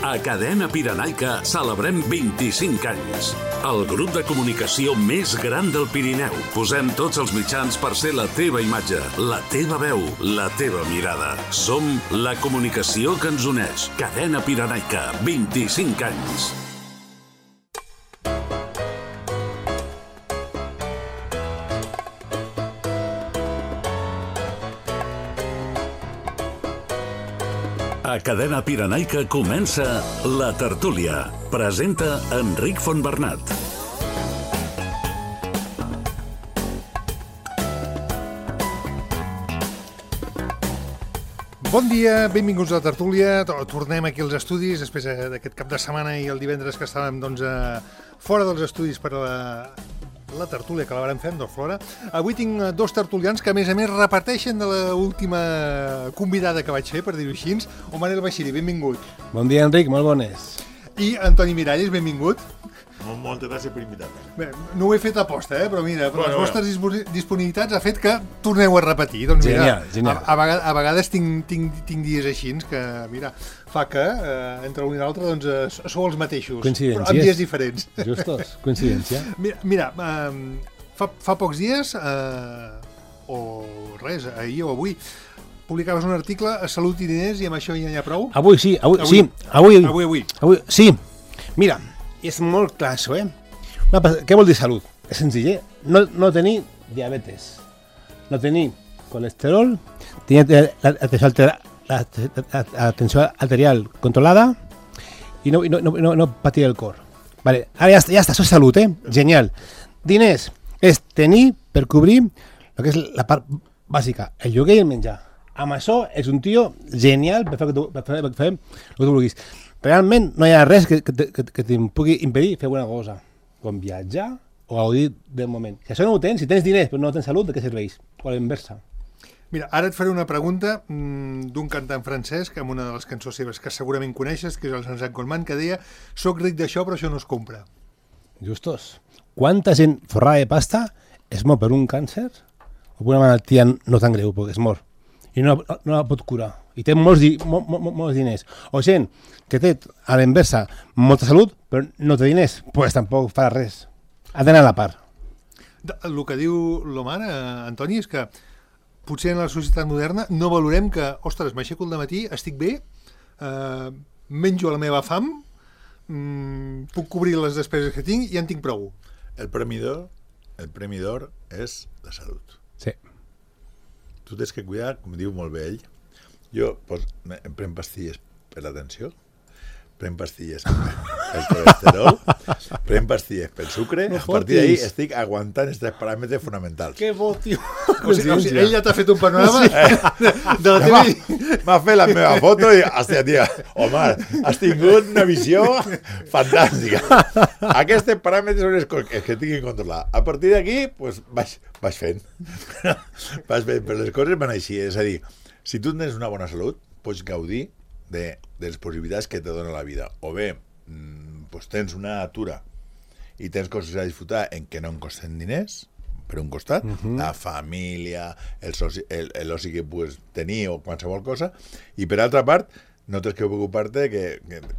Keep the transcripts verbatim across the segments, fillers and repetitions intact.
A Cadena Pirenaica celebrem vint-i-cinc anys. El grup de comunicació més gran del Pirineu. Posem tots els mitjans per ser la teva imatge, la teva veu, la teva mirada. Som la comunicació que ens uneix. Cadena Pirenaica, vint-i-cinc anys. A Cadena Pirenaica comença La Tertúlia. Presenta Enric Fontbernat. Bon dia, benvinguts a La Tertúlia. Tornem aquí als estudis després d'aquest cap de setmana i el divendres que estàvem doncs, fora dels estudis per a la, la tertúlia que la vàrem fer amb Dorflora. Avui tinc dos tertulians que a més a més reparteixen de l'última convidada que vaig fer, per dir-ho així. O Manel Baixiri, benvingut. Bon dia, Enric, molt bones. I Antoni Miralles, benvingut. Moltes gràcies per invitar-me. Bé, no ho he fet aposta, eh? Però mira, per bueno, les vostres bueno. disponibilitats ha fet que torneu a repetir. Doncs mira, genial, genial. A, a, vegades, a vegades tinc, tinc, tinc dies així que, mira, fa que eh, entre un i l'altre doncs, eh, sou els mateixos, però amb dies diferents. Justos, coincidència. Mira, mira eh, fa, fa pocs dies, eh, o res, ahir o avui, publicaves un article a Salut i Diners i amb això ja n'hi ha prou? Avui sí, avui, avui, sí, avui, avui, avui. avui. Sí, mira, és molt clar això, eh? Una, què vol dir salut? És senzill, eh? No, no tenir diabetes, no tenir colesterol, tenir l'atenció altera, la, la, la tensió arterial controlada i no, no, no, no patir el cor. Vale, ara ja, ja està, això és salut, eh? Genial. Diners és tenir per cobrir el que és la part bàsica, el lloguer i el menjar. Amb això és un tio genial per fer, per fer, per fer el que tu vulguis. Realment no hi ha res que, que, que, que te'n pugui impedir fer alguna cosa, com viatjar o gaudir del moment. Si això no ho tens, si tens diners però no tens salut, de què serveix? O a la inversa. Mira, ara et faré una pregunta mmm, d'un cantant francès, que amb una de les cançons seves que segurament coneixes, que és el Jean-Jacques Goldman, que deia: soc ric d'això però això no es compra. Justos. Quanta gent forrada de pasta es mor per un càncer o per una malaltia no tan greu, perquè es mor i no, no, no la pot curar i té molts, di, mo, mo, molts diners, o gent que té a la inversa molta salut però no té diners, doncs pues tampoc fa res, ha d'anar a la part. El que diu l'Omar, eh, Antoni, és que potser en la societat moderna no valorem que, ostres, m'aixeco al dematí, estic bé, eh, menjo la meva fam, mm, puc cobrir les despeses que tinc i ja en tinc prou. El premi d'or, el premi d'or és la salut. Sí. Tu tens que cuidar, com diu molt bé ell. Jo pues, em prenc pastilles per la tensió, prenc pastilles pel colesterol, prenc pastilles pel sucre, no a partir d'ahir estic aguantant els tres paràmetres fonamentals. Que bo, tio! O sigui, o sigui, ell ja t'ha fet un panorama sí. de la teva... M'ha fet la meva foto i, hòstia, tia, Omar, has tingut una visió fantàstica. Aquests paràmetres són els que, que tinc que controlar. A partir d'aquí, pues, vaig, vaig fent. Vaig fent, però les coses van així. És a dir, si tu tens una bona salut, pots gaudir de, de les possibilitats que te dona la vida. O bé, mmm, pues tens una atura i tens coses a disfrutar en què no en costen diners, per un costat, uh-huh. la família, el, soci, el, el oci que pugues tenir o qualsevol cosa, i per altra part, no tens que preocupar-te que,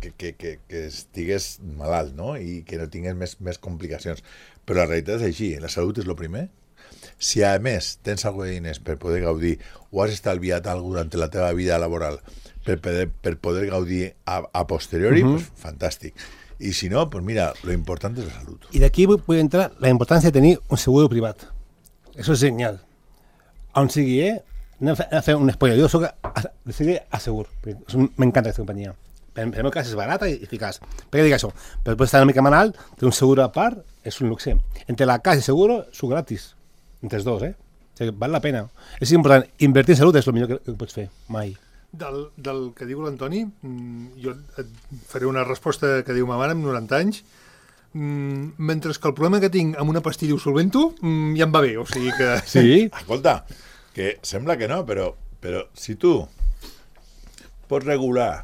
que, que, que, que estigues malalt, no? I que no tingues més, més complicacions. Però la realitat és així, la salut és el primer. Si a més tens alguna de diners per poder gaudir o has estalviat alguna durant la teva vida laboral per poder, per poder gaudir a, a posteriori, uh-huh. pues fantàstic. I si no, pues mira, lo important és la salut. I d'aquí vull, vull entrar la importància de tenir un seguro privat. Això és genial. On sigui, eh? Anem a fer, a fer un spoiler. Jo soc a, de seguir a segur. M'encanta aquesta companyia. Per, per el meu cas és barata i eficaç. Per què dic això? Per poder estar una mica malalt, tenir un seguro a part és un luxe. Entre la casa i seguro, són gratis. Entre els dos, eh? O sigui, val la pena. És important. Invertir en salut és el millor que, que pots fer. Mai. Del, del que diu l'Antoni, jo et faré una resposta que diu ma mare amb noranta anys. Mentre que el problema que tinc amb una pastilla ho solvento, ja em va bé, o sigui que... Sí? Escolta, que sembla que no, però, però si tu pots regular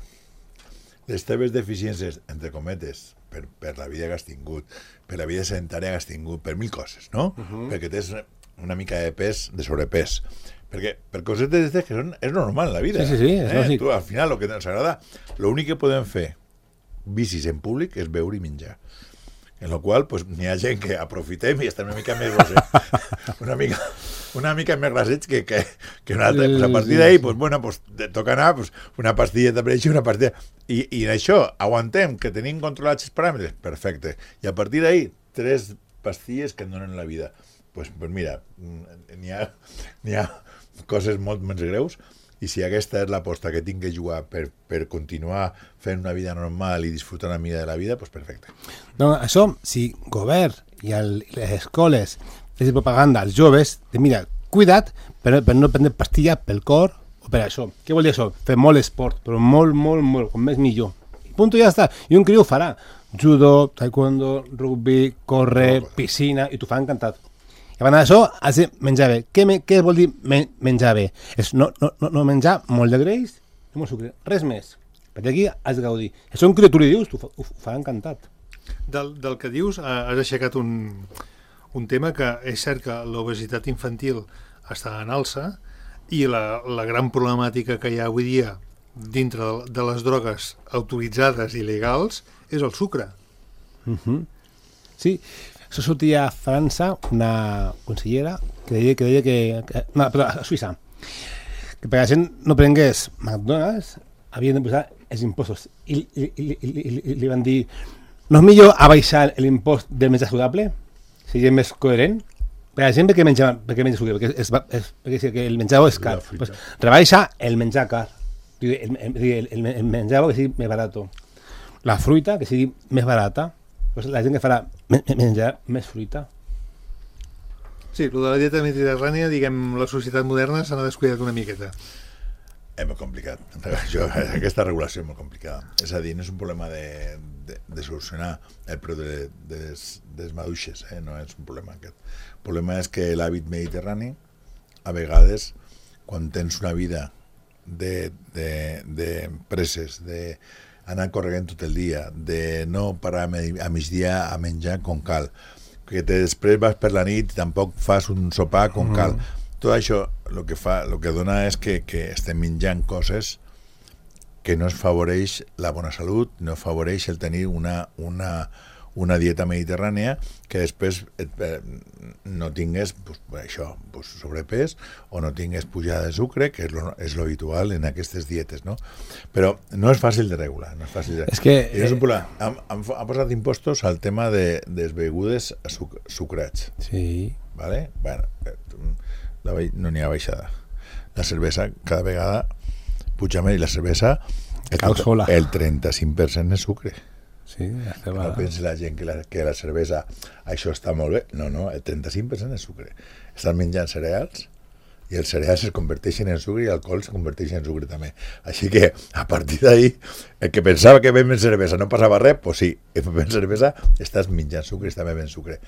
les teves deficiències, entre cometes, per, per la vida que has tingut, per la vida sedentària que has tingut, per mil coses, no? Uh-huh. Perquè tens una mica de pes, de sobrepès. Perquè per cosetes d'aquestes que són, és normal la vida. Sí, sí, sí, és eh? lògic. Tu, al final, el que ens agrada, l'únic que podem fer vicis en públic és beure i menjar. En la qual pues, n'hi ha gent que aprofitem i estem una mica més grosets, una mica, una mica més grosets que, que, que una altra. Pues a partir d'ahir, pues, bueno, pues, toca anar pues, una pastilleta per això, una pastilla... I, I en això aguantem que tenim controlats els paràmetres, perfecte. I a partir d'ahir, tres pastilles que et donen la vida. Pues, pues mira, n'hi ha, n'hi ha coses molt menys greus. I si aquesta és l'aposta que tinc que jugar per, per continuar fent una vida normal i disfrutar una mica de la vida, doncs perfecte. No, això, si govern i el, les escoles fessin propaganda als joves, de mira, cuida't per, per no prendre pastilla pel cor o per això. Què vol dir això? Fer molt esport, però molt, molt, molt, com més millor. Punt, ja està. I un criu ho farà. Judo, taekwondo, rugby, córrer, piscina, i t'ho fa encantat. I abans d'això, has de menjar bé. Què, me, què vol dir men, menjar bé? És no, no, no menjar molt de greix i molt sucre. Res més. Perquè aquí has de gaudir. Això un criu tu li dius, t'ho fa, ho fa encantat. Del, del que dius, has aixecat un, un tema que és cert que l'obesitat infantil està en alça i la, la gran problemàtica que hi ha avui dia dintre de, de les drogues autoritzades i legals és el sucre. Uh-huh. Sí, això sortia a França una consellera que deia que... Deia que, que no, perdó, a Suïssa, que perquè la gent no prengués McDonald's havien de posar els impostos. I, i, i, i, i li van dir no és millor abaixar l'impost del menjar saludable? Seria més coherent? Per la gent perquè menja, perquè menja saludable? Perquè, és, és, perquè si el menjar és car. Pues, rebaixa el menjar car. El, el, el, el menjar que sigui més barat. La fruita que sigui més barata. Pues la gent que farà menjar més fruita. Sí, el de la dieta mediterrània, diguem, la societat moderna s'ha descuidat una miqueta. És molt complicat. Això, aquesta regulació és molt complicada. És a dir, no és un problema de, de, de solucionar el preu de, de, de les maduixes, eh? No és un problema aquest. El problema és que l'hàbit mediterrani, a vegades, quan tens una vida de, de, de preses, de anar corregant tot el dia, de no parar a migdia a menjar com cal, que te després vas per la nit i tampoc fas un sopar com mm. cal. Tot això el que fa, el que dona és que, que estem menjant coses que no es favoreix la bona salut, no favoreix el tenir una, una, una dieta mediterrània que després et, no tingués pues, això, pues, sobrepès o no tingués pujada de sucre, que és lo, és lo habitual en aquestes dietes, no? Però no és fàcil de regular, no és fàcil de... És que... I és un problema. Han, han, han posat impostos al tema de, de les begudes suc, sucrats. Sí. Vale? Bueno, la, no n'hi ha baixada. La cervesa cada vegada puja més i la cervesa el, el trenta-cinc per cent és sucre. Sí, no pensi la gent que la, que la cervesa això està molt bé, no, no, el trenta-cinc per cent és sucre. Estan menjant cereals i els cereals es converteixen en sucre i l'alcohol es converteix en sucre també. Així que a partir d'ahí el que pensava que bevent cervesa no passava res, doncs sí, bevent cervesa estàs menjant sucre i estàs bevent sucre.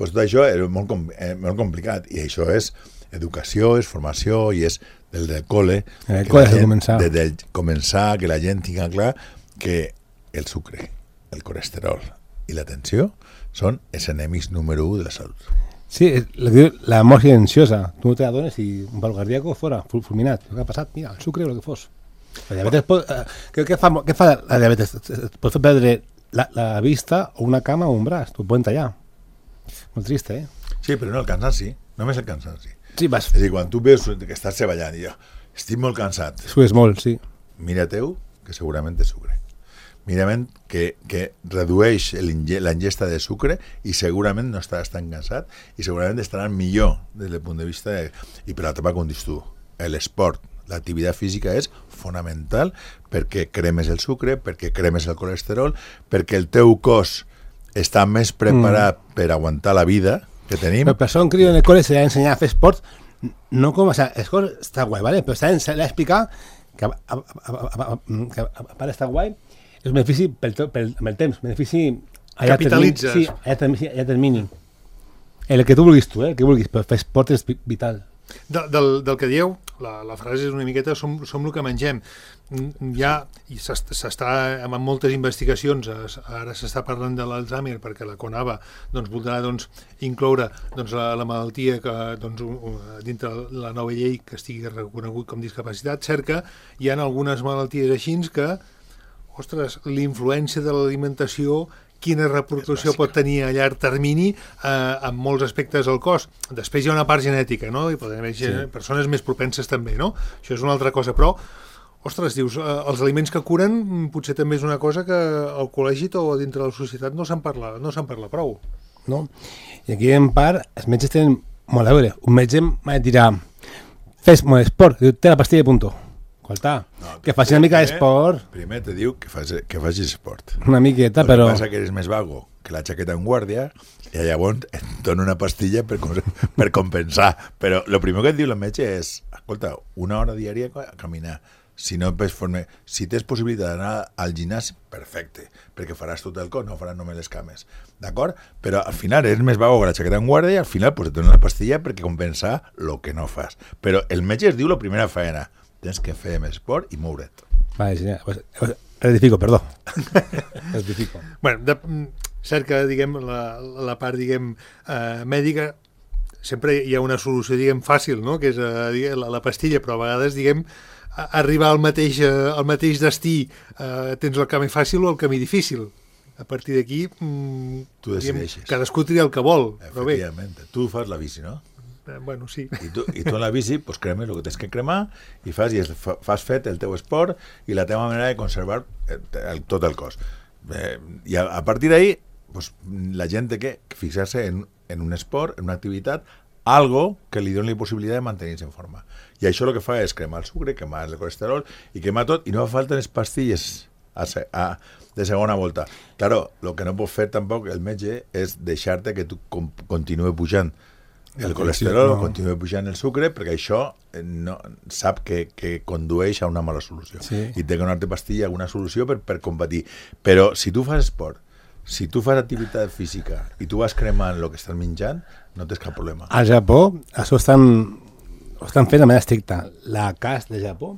Pues tot això és molt, molt complicat i això és educació, és formació i és del del col·le, el col·le de començar. De, de començar, que la gent tingui clar que el sucre, el colesterol i la tensió són els enemics número u de la salut. Sí, la mort silenciosa. Tu no te l'adones i un pal cardíaco fora, fulminat. Què ha passat? Mira, el sucre o el que fos. La diabetes pot, eh, què, què, fa, què fa la diabetes? Pot fer perdre la, la vista o una cama o un braç. T'ho poden tallar. Molt trist, eh? Sí, però no el cansanci. Només el cansanci. Sí, vas. És a dir, quan tu veus que estàs treballant i jo estic molt cansat. Sues molt, sí. Mira-teu, que segurament és sucre. Mira-me'n que, que redueix la ingesta de sucre i segurament no estaràs tan cansat i segurament estaràs millor des del punt de vista de... I per l'altra part, com dius tu, l'esport, l'activitat física és fonamental perquè cremes el sucre, perquè cremes el colesterol, perquè el teu cos està més preparat mm. per aguantar la vida que tenim. Però per això un criu en el col·le s'ha d'ensenyar a fer esport, no com... O sea, l'esport està guai, ¿vale? Però s'ha d'explicar que a, a, a, a, que a part d'estar guai és un benefici pel, pel, amb el temps, benefici a llarg termini. Sí, a llarg termini. El que tu vulguis tu, eh? El que vulguis, però fer esport és vital. De, del, del que dieu, la, la frase és una miqueta som, som el que mengem. Ja i s'està amb moltes investigacions, ara s'està parlant de l'Alzheimer perquè la CONAVA doncs, voldrà doncs, incloure doncs, la, la malaltia que doncs, dintre la nova llei que estigui reconegut com discapacitat. Cert que hi ha algunes malalties així que ostres, l'influència de l'alimentació, quina repercussió pot tenir a llarg termini eh, en molts aspectes del cos. Després hi ha una part genètica, no? I poden haver sí. persones més propenses també, no? Això és una altra cosa, però, ostres, dius, eh, els aliments que curen potser també és una cosa que al col·legi o dintre de la societat no se'n parla, no se'n parla prou. No? I aquí, en part, els metges tenen molt a veure. Un metge m'ha de tirar, fes molt esport, diu, té la pastilla i punto. Escolta, no, que faci una mica d'esport. Primer te diu que, fas, que facis esport. Una miqueta, el però... El que passa que eres més vago que la jaqueta en guàrdia i llavors et dona una pastilla per, per compensar. Però el primer que et diu el metge és, escolta, una hora diària a caminar. Si no forme, si tens possibilitat d'anar al gimnàs, perfecte, perquè faràs tot el cos, no faràs només les cames. D'acord? Però al final eres més vago que la jaqueta en guàrdia i al final pues, et dona una pastilla perquè compensar el que no fas. Però el metge es diu la primera faena. Tens que fer més esport i moure't. Vale, sí, pues, rectifico, perdó. Rectifico. Bueno, de, cert que, diguem, la, la part, diguem, eh, mèdica, sempre hi ha una solució, diguem, fàcil, no?, que és eh, diguem, la, la pastilla, però a vegades, diguem, arribar al mateix, eh, al mateix destí, eh, tens el camí fàcil o el camí difícil. A partir d'aquí, mm, tu decideixes. Diguem, cadascú tria el que vol, però bé. Efectivament. Tu fas la bici, no? Bueno, sí. I tu, i tu en la bici pues, cremes el que tens que cremar i fas, i es, fas fet el teu esport i la teva manera de conservar el, el, tot el cos. Eh, I a, a partir d'ahí pues, la gent té que fixar-se en, en un esport, en una activitat, algo que li doni la possibilitat de mantenir-se en forma. I això el que fa és cremar el sucre, cremar el colesterol i cremar tot, i no fa falta les pastilles a, a, de segona volta. Claro, el que no pot fer tampoc el metge és deixar-te que tu com, continue pujant el colesterol, no. Continua pujant el sucre, perquè això no, sap que, que condueix a una mala solució. Sí. I té que donar-te pastilla, alguna solució per, per combatir. Però si tu fas esport, si tu fas activitat física i tu vas cremant el que estàs menjant, no tens cap problema. Al Japó, això estan, ho estan fent de manera estricta. La C A S de Japó,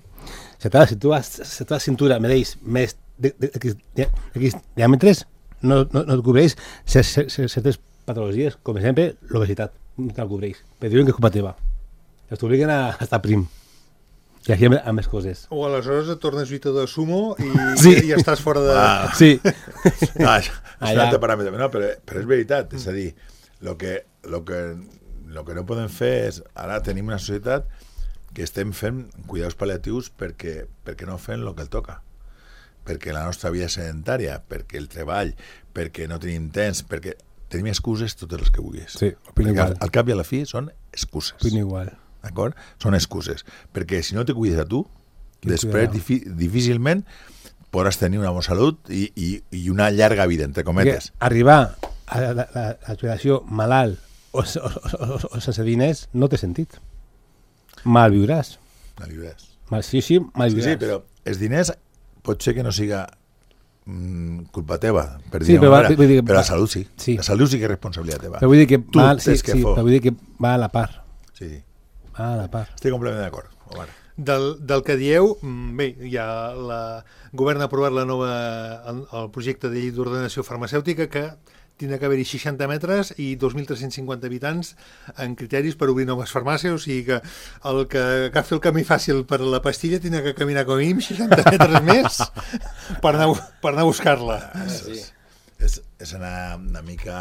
si tu has, si tu has cintura mereix més de, de, de, de, de diàmetres, no, no, no et cobreix certes patologies, com per exemple l'obesitat. No te'l cobreix, però diuen que és culpa teva. Els t'obliguen a estar prim. I aquí amb més coses. O aleshores et tornes lluitador de sumo i, sí. i, i estàs fora de... Ah. Sí. Ah, és un altre paràmetre. No, però, però és veritat. És a dir, el que, lo que, lo que no podem fer és... Ara tenim una societat que estem fent cuidados pal·liatius perquè, perquè no fem el que el toca. Perquè la nostra vida és sedentària, perquè el treball, perquè no tenim temps, perquè... Tenim excuses totes les que vulguis. Sí, opino igual. Al cap i a la fi són excuses. Opino igual. D'acord? Són excuses. Perquè si no te cuides a tu, Quin després difi difícilment podràs tenir una bona salut i, i, i una llarga vida, entre cometes. Perquè arribar a la, la, la jubilació malalt o, o, o, o sense diners no té sentit. Mal viuràs. Mal viuràs. Mal, sí, sí, mal viuràs. Sí, sí, però els diners pot ser que no siga culpa teva, per sí, dir però, manera, va, dir, però la salut sí. sí. La salut sí que és responsabilitat teva. Però vull dir que, tu va, sí, que sí, però vull dir que va a la part. Sí. Va a la part. Estic completament d'acord. Omar. Del, del que dieu, bé, ja la govern ha aprovat la nova, el, el projecte de llei d'ordenació farmacèutica que tindrà que haver-hi seixanta metres i dos mil tres-cents cinquanta habitants en criteris per obrir noves farmàcies, o sigui que el que agafi el camí fàcil per la pastilla tindrà que caminar com a mínim seixanta metres més per anar, per anar a buscar-la. Ah, sí. és, és anar una mica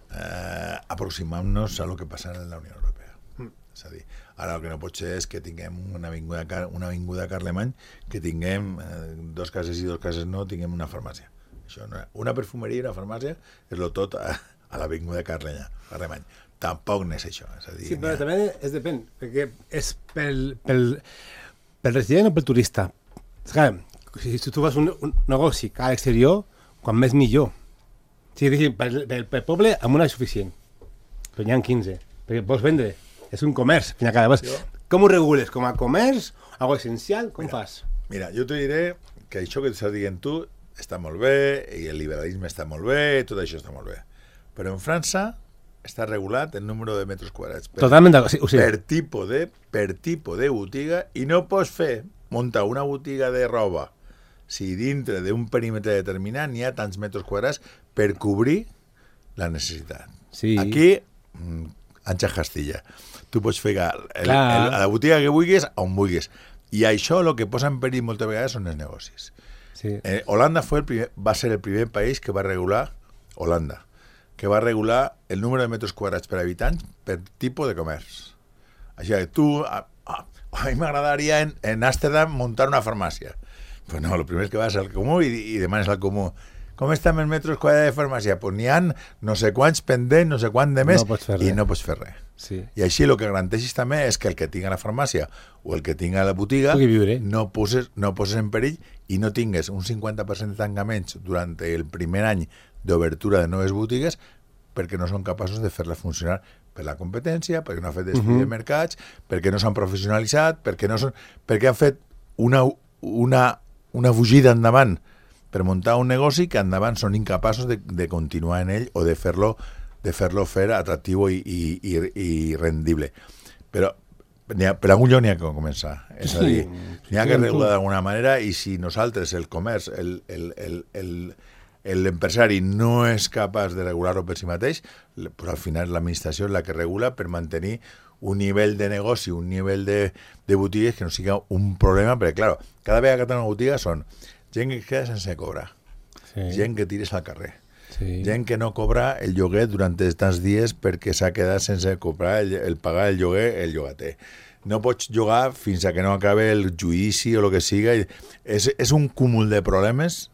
eh, aproximant-nos a lo que passa en la Unió Europea. Mm. És a dir, ara el que no pot ser és que tinguem una avinguda, una avinguda Carlemany, que tinguem eh, dos cases i dos cases no, tinguem una farmàcia. Això no, una perfumeria i una farmàcia és lo tot a, a l'avinguda Carlemany. Tampoc no és això. És a dir, sí, però també és depèn, perquè és pel, pel, pel resident o pel turista. És clar, si, si tu fas un, un negoci a l'exterior, quan més millor. Sí, pel, pel, pel poble amb una és suficient, però n'hi ha quinze, perquè vols vendre, és un comerç. Cada jo... Com ho regules? Com a comerç? Algo essencial? Com mira, fas? Mira, jo t'ho diré que això que estàs dient tu està molt bé, i el liberalisme està molt bé, tot això està molt bé. Però en França està regulat el número de metres quadrats. Per, Totalment d'acord, sí, sí. Per tipus de, per tipus de botiga, i no pots fer, muntar una botiga de roba si dintre d'un perímetre determinat n'hi ha tants metres quadrats per cobrir la necessitat. Sí. Aquí, Anxa Castilla, tu pots fer el, el, el, la botiga que vulguis on vulguis. I això el que posa en perill moltes vegades són els negocis. Sí. Eh, Holanda fue el primer, va a ser el primer país que va a regular, Holanda, que va a regular el número de metros quadrats per habitant per tipus de comerç. Així que tu, a, a, a mi m'agradaria en, en Amsterdam muntar una farmàcia. Pues no, el primer que vas al comú i, i demanes al comú com estan els metres quadrats de farmàcia? Pues n'hi ha no sé quants pendents, no sé quant de més, no i no pots fer res. Sí. I així el que garanteixis també és que el que tinga la farmàcia o el que tinga la botiga no poses, no poses en perill i no tingues un cinquanta per cent de tancaments durant el primer any d'obertura de noves botigues perquè no són capaços de fer-la funcionar per la competència, perquè no han fet estudi uh -huh. de mercats, perquè no s'han professionalitzat, perquè, no són, perquè han fet una, una, una fugida endavant per muntar un negoci que endavant són incapaços de, de continuar en ell o de fer-lo de fer-lo fer atractiu i, i, i, i rendible. Però ha, per algun lloc n'hi ha que començar. És a dir, n'hi ha que regular d'alguna manera i si nosaltres, el comerç, el, el, el, el, l'empresari no és capaç de regular-ho per si mateix, pues al final l'administració és la que regula per mantenir un nivell de negoci, un nivell de, de botigues que no siga un problema, perquè, clar, cada vegada que tenen una botiga són gent que queda sense cobrar, sí. gent que tires al carrer, sí. gent que no cobra el lloguer durant tants dies perquè s'ha quedat sense cobrar el, el pagar el lloguer el llogater. No pots llogar fins a que no acabe el judici o el que siga. És, és un cúmul de problemes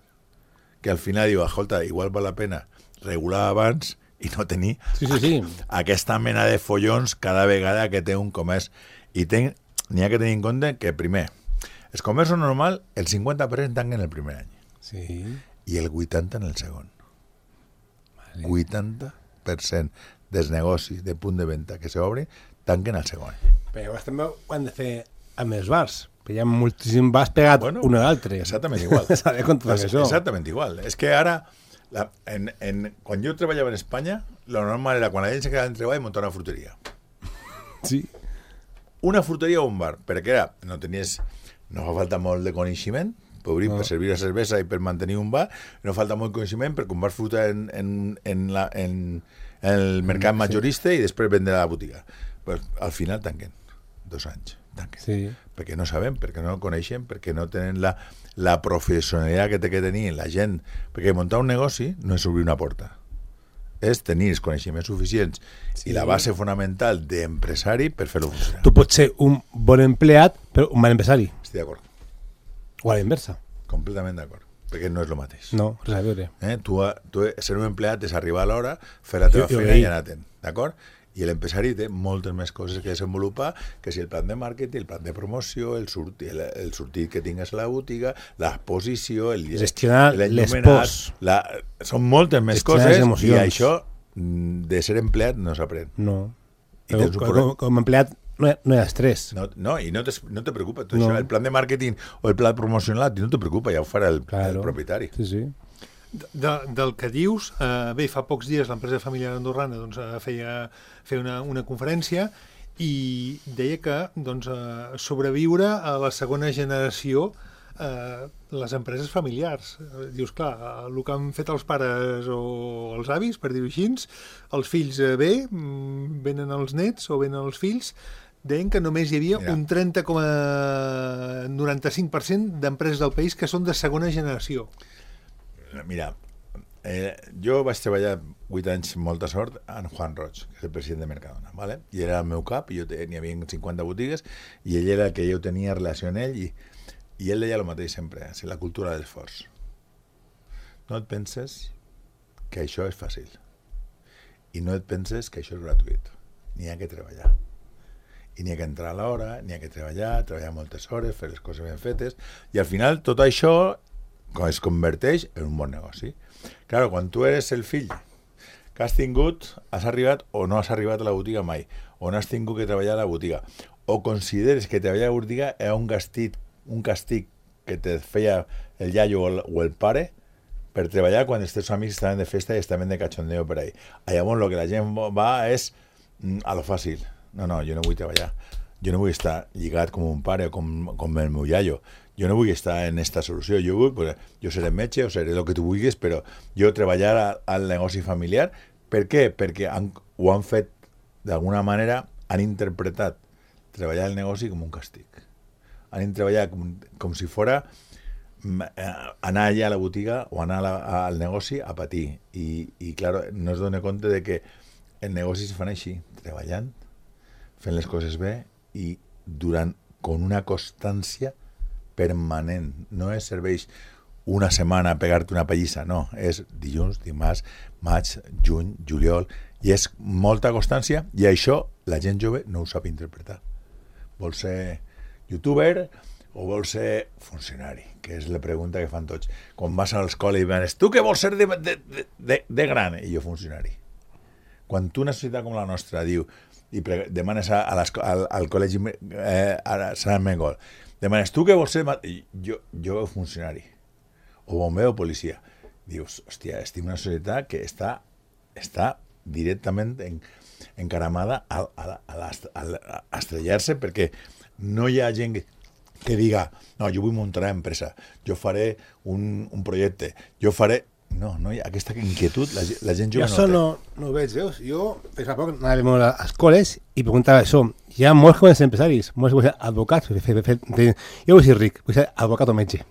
que al final diu, escolta, igual val la pena regular abans i no tenir sí, sí, sí. aquesta mena de follons cada vegada que té un comerç. I n'hi ha que tenir en compte que, primer, els comerços normal, el cinquanta per cent tanquen el primer any. Sí. I el vuitanta per cent en el segon. Vale. vuitanta per cent dels negocis de punt de venda que s'obrin tanquen el segon. Però llavors també ho han de fer amb els bars, perquè hi ha moltíssims bars pegats bueno, un a l'altre. Exactament igual. Es, exactament igual. És que ara, la, en, en, quan jo treballava en Espanya, lo normal era quan la gent se quedava en treball muntar una fruteria. Sí. Una fruteria o un bar, perquè era, no tenies, no fa falta molt de coneixement, per obrir, no. per servir la cervesa i per mantenir un bar, no falta molt coneixement perquè un bar fruta en, en, en, la, en, en el mercat majorista sí. i després vendre a la botiga. Pues, al final tanquen, dos anys, tanquen. Sí. Perquè no sabem, perquè no coneixen, perquè no tenen la, la professionalitat que té que tenir la gent. Perquè muntar un negoci no és obrir una porta, és tenir els coneixements suficients sí. i la base fonamental d'empresari per fer-lo funcionar. Tu pots ser un bon empleat, però un mal empresari. Estic d'acord. O a la inversa. Completament d'acord, perquè no és el mateix. No, res a veure. Eh? Tu, tu ser un empleat és arribar a l'hora, fer la teva jo, feina jo i anar-te'n, d'acord? I l'empresari té moltes més coses que desenvolupar, que si el plan de màrqueting, el plan de promoció, el sortit, el, el sortit que tingues a la botiga, l'exposició, el gestionar l'espòs. La, són moltes més coses i això de ser empleat no s'aprèn. No. Però, com, com a empleat no hi, no hi ha estrès. No, no i no te, no te preocupa. No. Això, el plan de màrqueting o el pla promocional no te preocupa, ja ho farà el, claro. el propietari. Sí, sí. De, del que dius, eh, bé, fa pocs dies l'empresa familiar andorrana doncs, feia, feia una, una conferència i deia que doncs, eh, sobreviure a la segona generació eh, les empreses familiars. Eh, dius, clar, el que han fet els pares o els avis, per dir-ho així, els fills eh, bé, venen els nets o venen els fills, deien que només hi havia Mira. un trenta coma noranta-cinc per cent d'empreses del país que són de segona generació. Mira, eh, jo vaig treballar vuit anys, molta sort, en Juan Roig, que és el president de Mercadona, ¿vale? I era el meu cap, i jo n'hi havia cinquanta botigues, i ell era el que jo tenia relació amb ell, i, i ell deia el mateix sempre, és la cultura de l'esforç. No et penses que això és fàcil, i no et penses que això és gratuït. N'hi ha que treballar. I n'hi ha que entrar a l'hora, n'hi ha que treballar, treballar moltes hores, fer les coses ben fetes, i al final tot això es converteix en un bon negoci. Claro, quan tu eres el fill que has tingut, has arribat o no has arribat a la botiga mai, o no has tingut que treballar a la botiga, o consideres que treballar a la botiga era un castig, un castig que te feia el iaio o el, o el pare per treballar quan els teus amics estaven de festa i estaven de cachondeo per ahí. Llavors el que la gent va és a lo fàcil. No, no, jo no vull treballar. Jo no vull estar lligat com un pare o com, com el meu iaio. Jo no vull estar en esta solució, jo vull, pues, jo seré metge o seré el que tu vulguis, però jo treballar a, al negoci familiar. Per què? Perquè han, ho han fet, d'alguna manera, han interpretat treballar el negoci com un càstig. Han treballat com, com si fora anar allà a la botiga o anar a la, al negoci a patir. I, i clar, no es dona compte de que els negocis es fan així, treballant, fent les coses bé i durant, con una constància permanent. No es serveix una setmana a pegar-te una pallissa, no. És dilluns, dimarts, maig, juny, juliol, i és molta constància, i això la gent jove no ho sap interpretar. Vol ser youtuber o vol ser funcionari, que és la pregunta que fan tots. Quan vas a l'escola i venes, tu què vols ser de, de, de, de gran? I jo funcionari. Quan tu, una societat com la nostra, diu, i pre demanes a, a al, al col·legi eh, a Sant Mengol, demanes, tu què vols ser? I jo, jo funcionari, o bomber o policia. Dius, hòstia, estic en una societat que està, està directament en, encaramada a, a, a, a, a estrellar-se, perquè no hi ha gent que, que diga, no, jo vull muntar una empresa, jo faré un, un projecte, jo faré... No, no hi ha aquesta inquietud, la, la gent jove jo no això té. no, no ho veig, veus? Jo, fins fa poc, anava molt a escoles i preguntava això. Hi ha molts joves empresaris, molts que vull ser advocats, fer, fer, fer, jo vull ser ric, vull ser advocat o metge.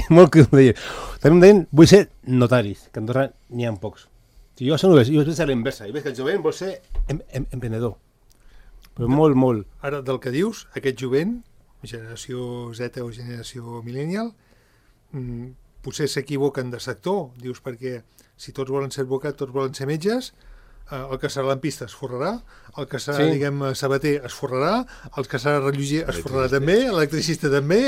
Molt que ho deia. També em deien, vull ser notaris, que a Andorra n'hi ha pocs. Si jo això no ho veig, jo veig a l'inversa, i veig que el jovent vol ser em, em, emprenedor. Però molt, molt. Ara, del que dius, aquest jovent, generació Z o generació millennial, mmm, potser s'equivoquen de sector, dius, perquè si tots volen ser advocats, tots volen ser metges, eh, el que serà lampista es forrarà, el que serà, sí. diguem, sabater es forrarà, el que serà relloger es forrarà també, l'electricista també...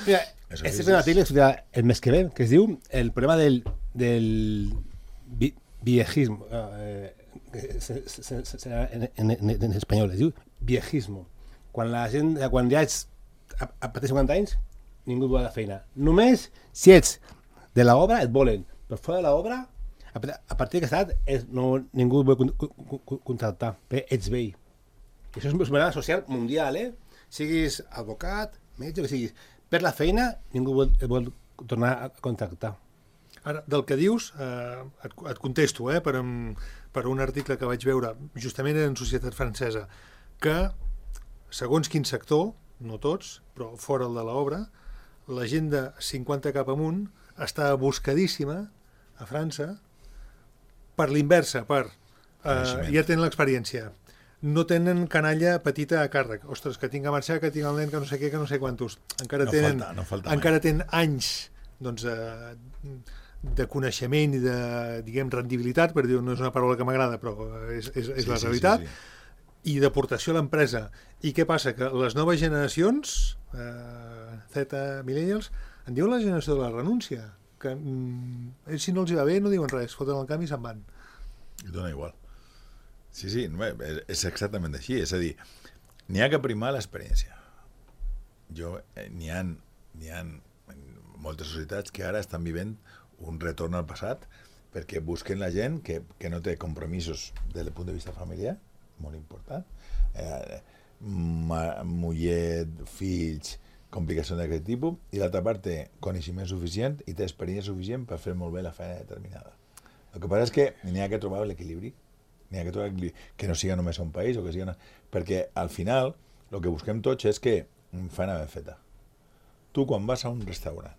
Mira, este és un article el mes que ve, que es diu el problema del, del vi, viejismo, eh, en, en, en, en espanyol, es diu viejismo. Quan la gent, quan ja ets a, a partir de cinquanta anys, ningú vol la feina. Només si ets de l'obra et volen, però fora de l'obra, a partir d'aquesta edat, no, ningú vol contractar, perquè ets vell. I això és un problema social mundial, eh? Siguis advocat, metge, que siguis. Per la feina, ningú vol, vol tornar a contractar. Ara, del que dius, eh, et, et contesto, eh, per, un, per un article que vaig veure, justament en Societat Francesa, que, segons quin sector, no tots, però fora el de l'obra, la gent de cinquanta cap amunt està buscadíssima a França per l'inversa, per... Eh, ja tenen l'experiència. No tenen canalla petita a càrrec. Ostres, que tinc a marxar, que tinc el nen, que no sé què, que no sé quantos. Encara no tenen, falta, no falta encara tenen anys doncs, eh, de coneixement i de, diguem, rendibilitat, per dir, no és una paraula que m'agrada, però és, és, és sí, la sí, realitat, sí, sí. I d'aportació a l'empresa. I què passa? Que les noves generacions, eh, Z, millennials, en diuen la generació de la renúncia, que mm, si no els hi va bé no diuen res, foten el camp i se'n van. I dona igual. Sí, sí, és exactament així. És a dir, n'hi ha que primar l'experiència. Jo, eh, n'hi ha, n'hi ha moltes societats que ara estan vivint un retorn al passat perquè busquen la gent que, que no té compromisos des del punt de vista familiar, molt important, eh, ma, muller, fills, complicacions d'aquest tipus, i l'altra part té coneixement suficient i té experiència suficient per fer molt bé la feina determinada. El que passa és que n'hi ha que trobar l'equilibri, n'hi ha que trobar l'equilibri, que no siga només un país, o que siga una... perquè al final el que busquem tots és que feina ben feta. Tu quan vas a un restaurant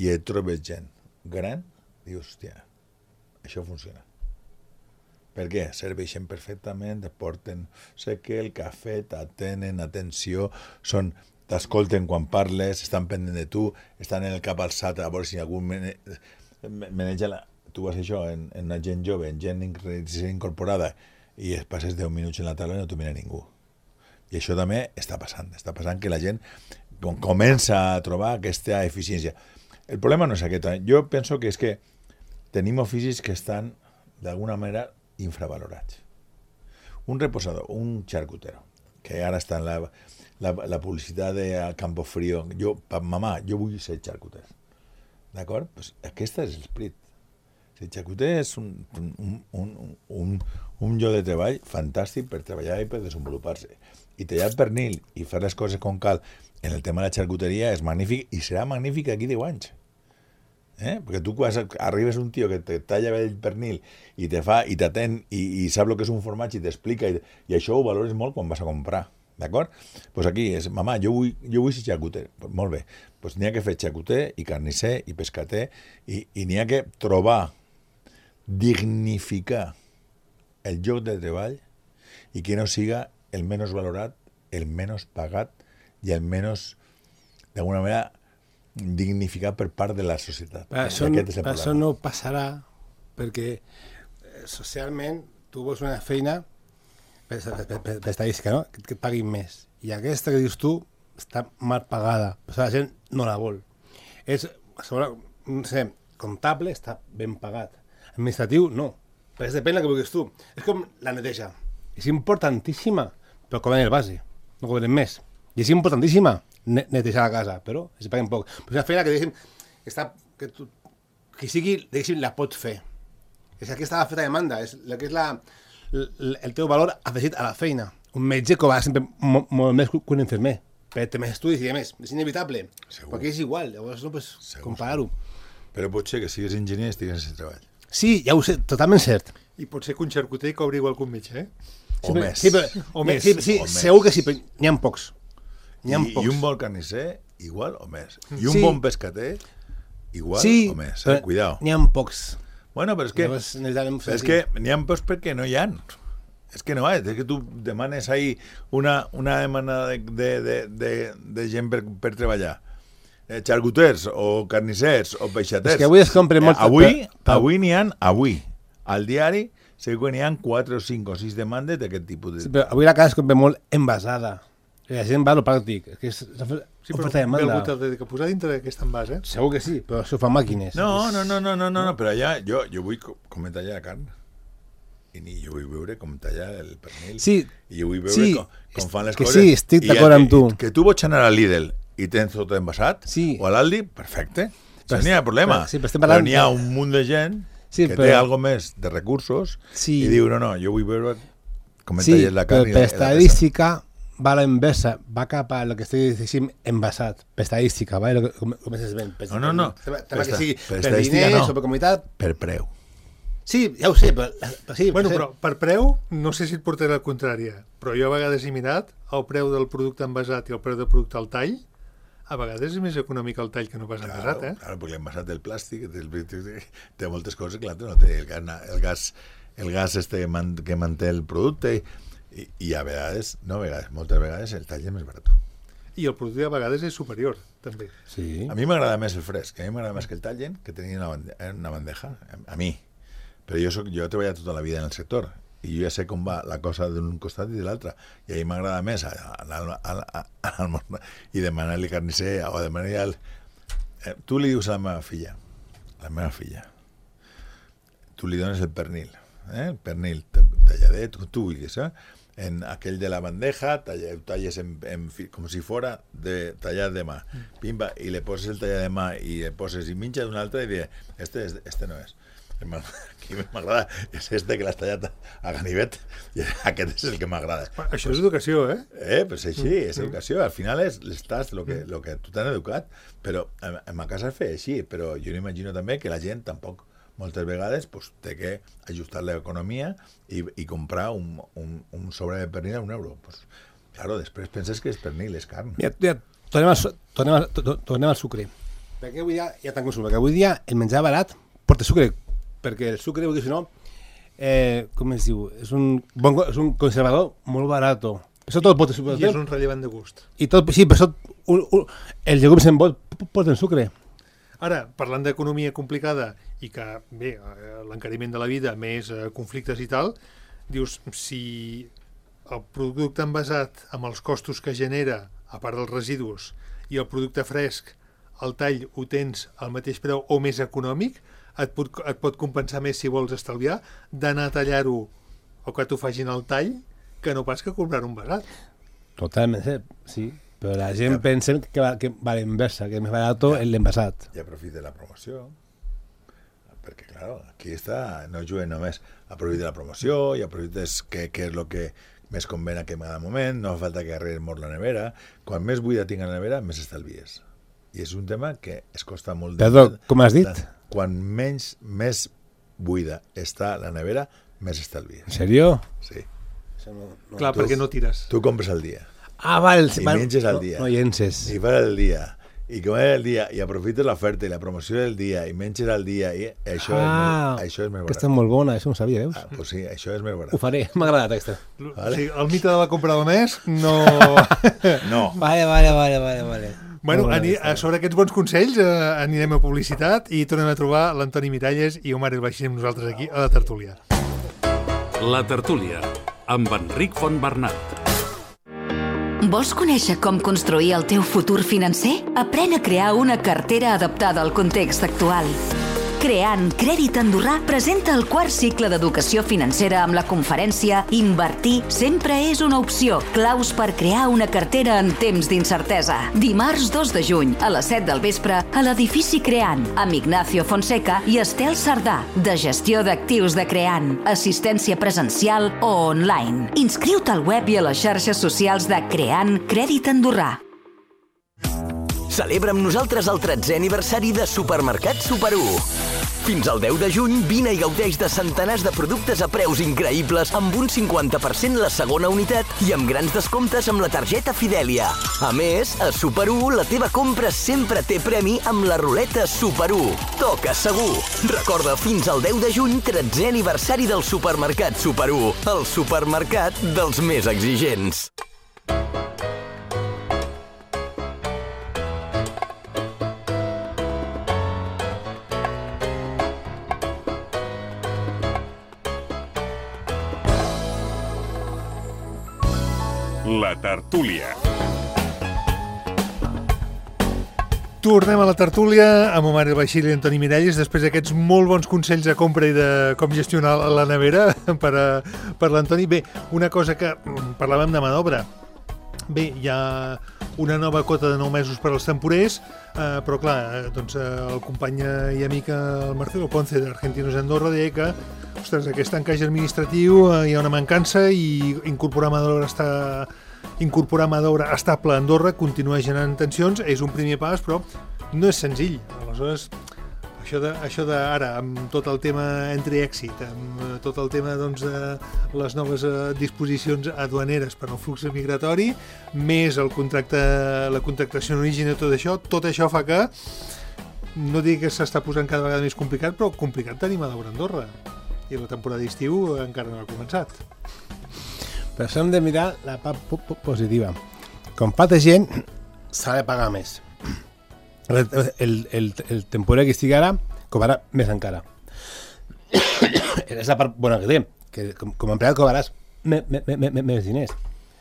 i et trobes gent gran, dius, hòstia, això funciona. Per què? Serveixen perfectament, et porten sé què, el cafè, t'atenen, atenció, són... t'escolten quan parles, estan pendent de tu, estan en el cap alçat a veure si algú mene... maneja la... Tu vas això en, en una gent jove, en gent incorporada, i es passes deu minuts en la taula i no t'ho mira ningú. I això també està passant. Està passant que la gent comença a trobar aquesta eficiència. El problema no és aquest. Jo penso que és que tenim oficis que estan, d'alguna manera, infravalorats. Un reposador, un charcutero, que ara està en la... La, la publicitat de Campo Frío, jo, mamà, jo vull ser xarcuter. D'acord? Pues aquest és l'esperit. El xarcuter és un, un, un, un, un lloc de treball fantàstic per treballar i per desenvolupar-se. I tallar el pernil i fer les coses com cal en el tema de la xarcuteria és magnífic i serà magnífic aquí deu anys. Eh? Perquè tu quan arribes un tio que te talla el pernil i te fa i t'atén i, i sap el que és un formatge i t'explica i, i això ho valores molt quan vas a comprar. D'acord? Doncs pues aquí és, mamà, jo vull, jo vull ser xacuter. Pues molt bé. Pues n'hi ha que fer xacuter i carnisser i pescater i, i n'hi ha que trobar, dignificar el lloc de treball i que no siga el menys valorat, el menys pagat i el menys, d'alguna manera, dignificat per part de la societat. Però això, I aquest és el això problema. no passarà perquè eh, socialment tu vols una feina per, per, per, per estadística, no? que, que et paguin més. I aquesta que dius tu està mal pagada, però la gent no la vol. És, sobre, no sé, comptable està ben pagat. Administratiu, no. Perquè depèn del que vulguis tu. És com la neteja. És importantíssima, però cobren el base. No cobren més. I és importantíssima ne netejar la casa, però es paguen poc. Però és una feina que, diguéssim, que, està, que, tu, que sigui, diguéssim, la pots fer. És que aquesta feta demanda, és la que és la, el, el teu valor afegit a la feina. Un metge cobra sempre molt, molt més que un infermer, perquè té més estudis i més. És inevitable. Segur. Perquè és igual, llavors no pots comparar-ho. Però pot ser que sigues enginyer i estigues sense treball. Sí, ja ho sé, totalment cert. I pot ser que un xarcuter cobri igual que un metge, eh? O Sí, però- més. Sí, però, O més. Sí, sí, O més. segur que sí, però n'hi ha pocs. N'hi ha I, pocs. I un bon carnisser, igual o més. I un Sí. bon pescater, igual sí, o més. però Eh? Cuidao. N'hi ha pocs. Bueno, però és que, Llavors, necessitem fer és així. que n'hi ha pocs perquè no hi ha. És que no és, és que tu demanes ahí una, una demanda de, de, de, de, de gent per, per treballar. Eh, xarcuters o carnissers o peixaters. És que avui es compren molt- Eh, avui, per- per- avui n'hi ha, avui, al diari, segur que n'hi ha quatre o cinc o sis demandes d'aquest tipus de... Sí, però avui la casa es compra molt envasada. I la gent va a lo pràctic. És que és oferta Sí, però oferta i ve demanda. algú te'l dedica a posar dintre d'aquest envàs, eh? Segur que sí, però això ho fan màquines. No, no, no, no, no, no, no, però allà jo, jo vull co- com tallar la carn. I ni jo vull veure com tallar el pernil. Sí, I jo vull veure sí, com, com fan les que coses. sí, estic I d'acord ja amb que- tu. Que tu pots anar a Lidl i tens tot envasat, Sí. o a l'Aldi, perfecte. Però Això n'hi ha est- problema. però- sí, però estem però parlant n'hi ha de- un munt de gent Sí, que però- té algo més de recursos Sí. i diu, no, no, jo vull veure com sí, talles la carn però i per la, i la peça. estadística va a la inversa, va cap a lo que estic dient envasat, per estadística, ¿vale? Lo que, com, com és ben. No, no, no. Tema, Per tema que esta- sigui per per estadística diners no. o per comunitat. Per preu. Sí, ja ho sé, però, però sí. Bueno, sí. però per preu, no sé si et portaré la contrària, però jo a vegades he mirat el preu del producte envasat i el preu del producte al tall, a vegades és més econòmic el tall que no pas envasat, Claro, eh? claro, perquè l'envasat del plàstic té, té moltes coses que l'altre no té. El gas, el gas, el gas este que, man, que manté el producte i, i a vegades, no a vegades, moltes vegades el tall és més barat. I el producte a vegades és superior, també. Sí. A mi m'agrada més el fresc, a mi m'agrada més que el tallen, que tenir una, bande una bandeja, a, a mi. Però jo, soc, jo he treballat tota la vida en el sector i jo ja sé com va la cosa d'un costat i de l'altre. I a mi m'agrada més anar al, al, al, al món i demanar-li carnisser o demanar-li al... Eh, tu li dius a la meva filla, a la meva filla, tu li dones el pernil, eh? el pernil talladet, tu, tu vulguis, eh? en aquell de la bandeja, talla, talles en, en, fi- com si fora de tallat de mà, pimba, i le poses el tallat de mà i le poses i minxes un altre i dius, este, és- este no és. Aquí m'agrada, és este que l'has tallat a ganivet i aquest és el que m'agrada. Això és educació, eh? Eh, pues així, és educació. Al final és l'estàs, el que, lo que tu t'han educat, però en, en ma casa es feia així, però jo m'imagino també que la gent tampoc moltes vegades pues, té que ajustar l'economia i, i comprar un, un, un sobre de pernil a un euro. Pues, claro, després penses que és pernil, és carn. Mira, ja, tornem, al, su- tornem, al, to- tornem al sucre. Perquè avui dia hi ha tant consum, perquè avui dia el menjar barat porta sucre, perquè el sucre, si no, eh, com es diu, és un, bon, co- és un conservador molt barat. Això tot porta sucre. I és un rellevant de gust. I tot, sí, però això, un, un, els llegums en bot porten sucre. Ara, parlant d'economia complicada i que, bé, eh, l'encariment de la vida, més eh, conflictes i tal, dius, si el producte envasat amb els costos que genera, a part dels residus, i el producte fresc, el tall ho tens al mateix preu o més econòmic, et pot, et pot compensar més si vols estalviar d'anar a tallar-ho o que t'ho facin al tall que no pas que comprar un envasat. Totalment, cert, sí. Però la gent Ja. pensa que va, que va a la inversa, que és més barat Ja. l'envasat. I aprofita la promoció, perquè, claro, aquí està, no juguen només, aprofita la promoció i aprofites què, què és el que més conven a cada moment, no fa falta que arregles molt la nevera, quan més buida tinga la nevera, més estalvies. I és un tema que es costa molt... Perdó, com has dit? Quan menys, més buida està la nevera, més estalvies. En sèrio? Sí. Això no, no. Clar, tu- perquè no tires. Tu compres al dia. Ah, val. I val. menges al dia. No, no llences. I fas el dia. I com és el dia, i aprofites l'oferta i la promoció del dia, i menges al dia, i això, Ah, és, més, això és més barat. aquesta és molt bona, això no ho sabia, veus? Ah, pues sí, això és més barat. Ho faré, m'ha agradat aquesta. Vale. O sigui, el mite de la compra del mes no... No. Vale, vale, vale, vale, vale. Bueno, ani, sobre aquests bons consells eh, anirem a publicitat i tornem a trobar l'Antoni Miralles i Omar El Baixí amb nosaltres aquí a la tertúlia. La tertúlia, amb Enric Fontbernat. Vols conèixer com construir el teu futur financer? Aprèn a crear una cartera adaptada al context actual. Creant Crèdit Andorrà presenta el quart cicle d'educació financera amb la conferència Invertir sempre és una opció. Claus per crear una cartera en temps d'incertesa. Dimarts dos de juny a les set del vespre a l'edifici Creant amb Ignacio Fonseca i Estel Sardà, de gestió d'actius de Creant, assistència presencial o online. Inscriu-te al web i a les xarxes socials de Creant Crèdit Andorrà. Celebra amb nosaltres el tretzè aniversari de Supermercat Super u. Fins al deu de juny, vine i gaudeix de centenars de productes a preus increïbles amb un cinquanta per cent la segona unitat i amb grans descomptes amb la targeta Fidèlia. A més, a Super u la teva compra sempre té premi amb la ruleta Super u. Toca segur! Recorda, fins al deu de juny, tretzè aniversari del Supermercat Super u, el supermercat dels més exigents. La tertúlia. Tornem a la tertúlia amb Omar El Baixí i Antoni Miralles després d'aquests molt bons consells de compra i de com gestionar la nevera per, a, per l'Antoni. Bé, una cosa que parlàvem de mà d'obra. Bé, hi ha una nova quota de nou mesos per als temporers, eh, però clar, doncs, el company i amic el Marcelo Ponce d'Argentinos Andorra deia que ostres, aquest encaix administratiu eh, hi ha una mancança i incorporar mà d'obra està incorporar mà d'obra estable a Andorra continua generant tensions, és un primer pas, però no és senzill. Aleshores, això de, això de ara, amb tot el tema entry-exit, amb tot el tema doncs, de les noves eh, disposicions aduaneres per al flux migratori, més el contracte, la contractació en origen i tot això, tot això fa que, no dic que s'està posant cada vegada més complicat, però complicat tenir mà d'obra a Andorra. I la temporada d'estiu encara no ha començat. Per això hem de mirar la part positiva. Com falta gent, s'ha de pagar més. El, el, el, el temporer que estigui ara cobrarà més encara. És la part bona que té, que com, com a empleat cobraràs me, me, me, me, més diners.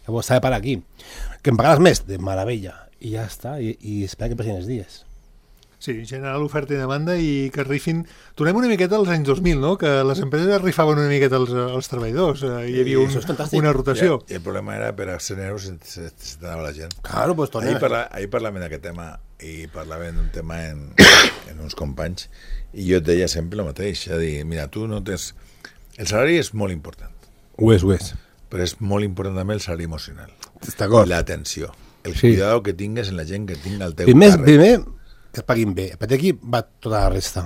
Llavors s'ha de parar aquí. Que em pagaràs més? De meravella. I ja està, i, i espera que passin els dies. Sí, generar l'oferta i demanda i que rifin... Tornem una miqueta als anys dos mil, no? Que les empreses rifaven una miqueta als, als treballadors. Hi havia un, una rotació. I el problema era per a ser euros se, se, se t'anava la gent. Claro, pues tornem. Ahir, parla, ahir parlàvem d'aquest tema i parlàvem d'un tema en, en uns companys i jo et deia sempre el mateix, a dir, mira, tu no tens... El salari és molt important. Ho és, ho és. Però és molt important també el salari emocional. D'acord. L'atenció. El Sí. cuidado que tingues en la gent que tinga el teu Primer, càrrec. primer que es paguin bé. A partir d'aquí va tota la resta.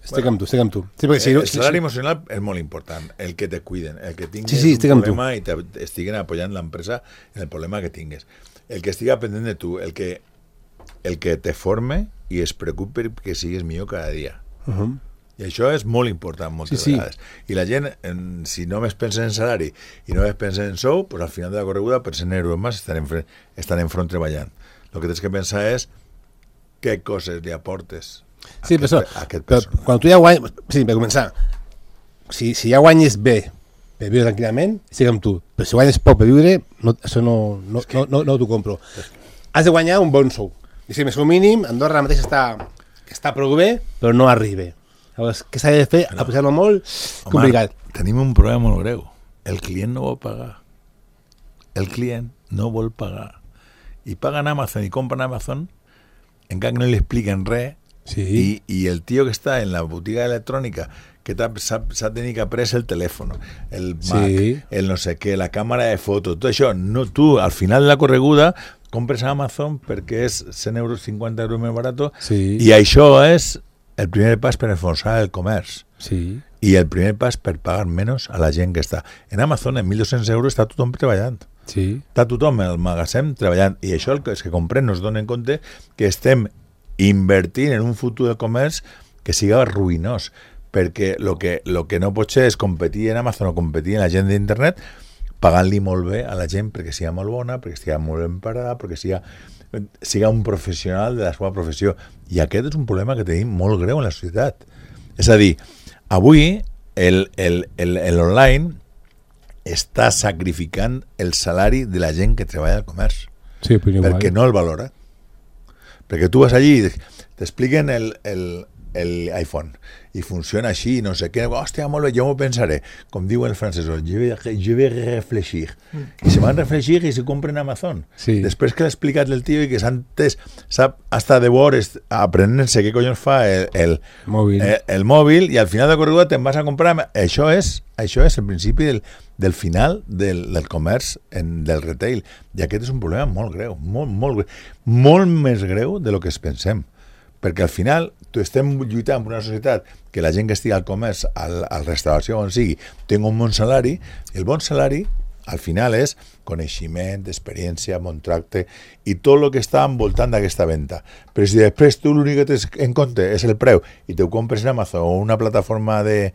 Estic Bueno, amb tu, estic amb tu. Sí, perquè si no, el salari emocional és molt important, el que te cuiden, el que tingues Sí, sí, estic un amb tu. problema i te estiguen apoyant l'empresa en el problema que tingues. El que estiga pendent de tu, el que, el que te forme i es preocupi que sigues millor cada dia. Uh -huh. I això és molt important moltes Sí, sí. vegades. I la gent, en, si només pensa en salari i només pensa en sou, pues al final de la correguda, per cent euros més, estan en, fre- estan en front treballant. El que tens que pensar és què coses li aportes a Sí, aquest, però, a aquest però persona. quan tu ja guanyes... Sí, per començar, si, si ja guanyes bé per viure tranquil·lament, estic amb tu. Però si guanyes poc per viure, no, això no, no, no, no, no t'ho compro. Has de guanyar un bon sou. I si més o mínim, Andorra ara mateix està, està prou bé, però no arriba. Llavors, què s'ha de fer? A pujar-lo molt, complicat. Omar, tenim un problema molt greu. El client no vol pagar. El client no vol pagar. I paguen Amazon i compren Amazon, encara que no li expliquen res, Sí. i, i el tio que està en la botiga electrònica que s'ha tenit que aprendre el telèfon, el Mac, Sí. el no sé què, la càmera de foto, tot això, no, tu al final de la correguda compres a Amazon perquè és cent euros, cinquanta euros més barat, Sí. i això és el primer pas per enforçar el comerç. Sí. I el primer pas per pagar menys a la gent que està. En Amazon, en mil dos-cents euros, està tothom treballant. Sí. Està tothom al magatzem treballant, i això el que els que comprem no es donen compte que estem invertint en un futur de comerç que siga ruïnós, perquè el que, lo que no pot ser és competir en Amazon o competir en la gent d'internet pagant-li molt bé a la gent perquè siga molt bona, perquè siga molt ben parada, perquè siga, siga un professional de la seva professió. I aquest és un problema que tenim molt greu en la societat. És a dir, avui el, el, el, el online està sacrificant el salari de la gent que treballa al comerç. Sí, però igual. Perquè no el valora. Perquè tu vas allí i t'expliquen el, el, el iPhone i funciona així, no sé què, hòstia, molt bé, jo m'ho pensaré, com diu el francès, jo vais, je vais reflexir, i se van reflexir i se compren Amazon. Sí. Després que l'ha explicat el tio i que s'ha entès, sap hasta de hores aprenent-se què collons fa el, el, Mòbil. el, el mòbil, i al final de corregut te'n vas a comprar. Això és, això és el principi del, del final del, del comerç, en, del retail, i aquest és un problema molt greu, molt, molt greu, molt més greu de lo que es pensem. Perquè al final tu estem lluitant per una societat que la gent que estigui al comerç, al, al restauració, on sigui, tingui un bon salari. El bon salari, al final, és coneixement, experiència, bon tracte i tot el que està envoltant d'aquesta venda. Però si després tu l'únic que tens en compte és el preu i te ho compres en Amazon o una plataforma de,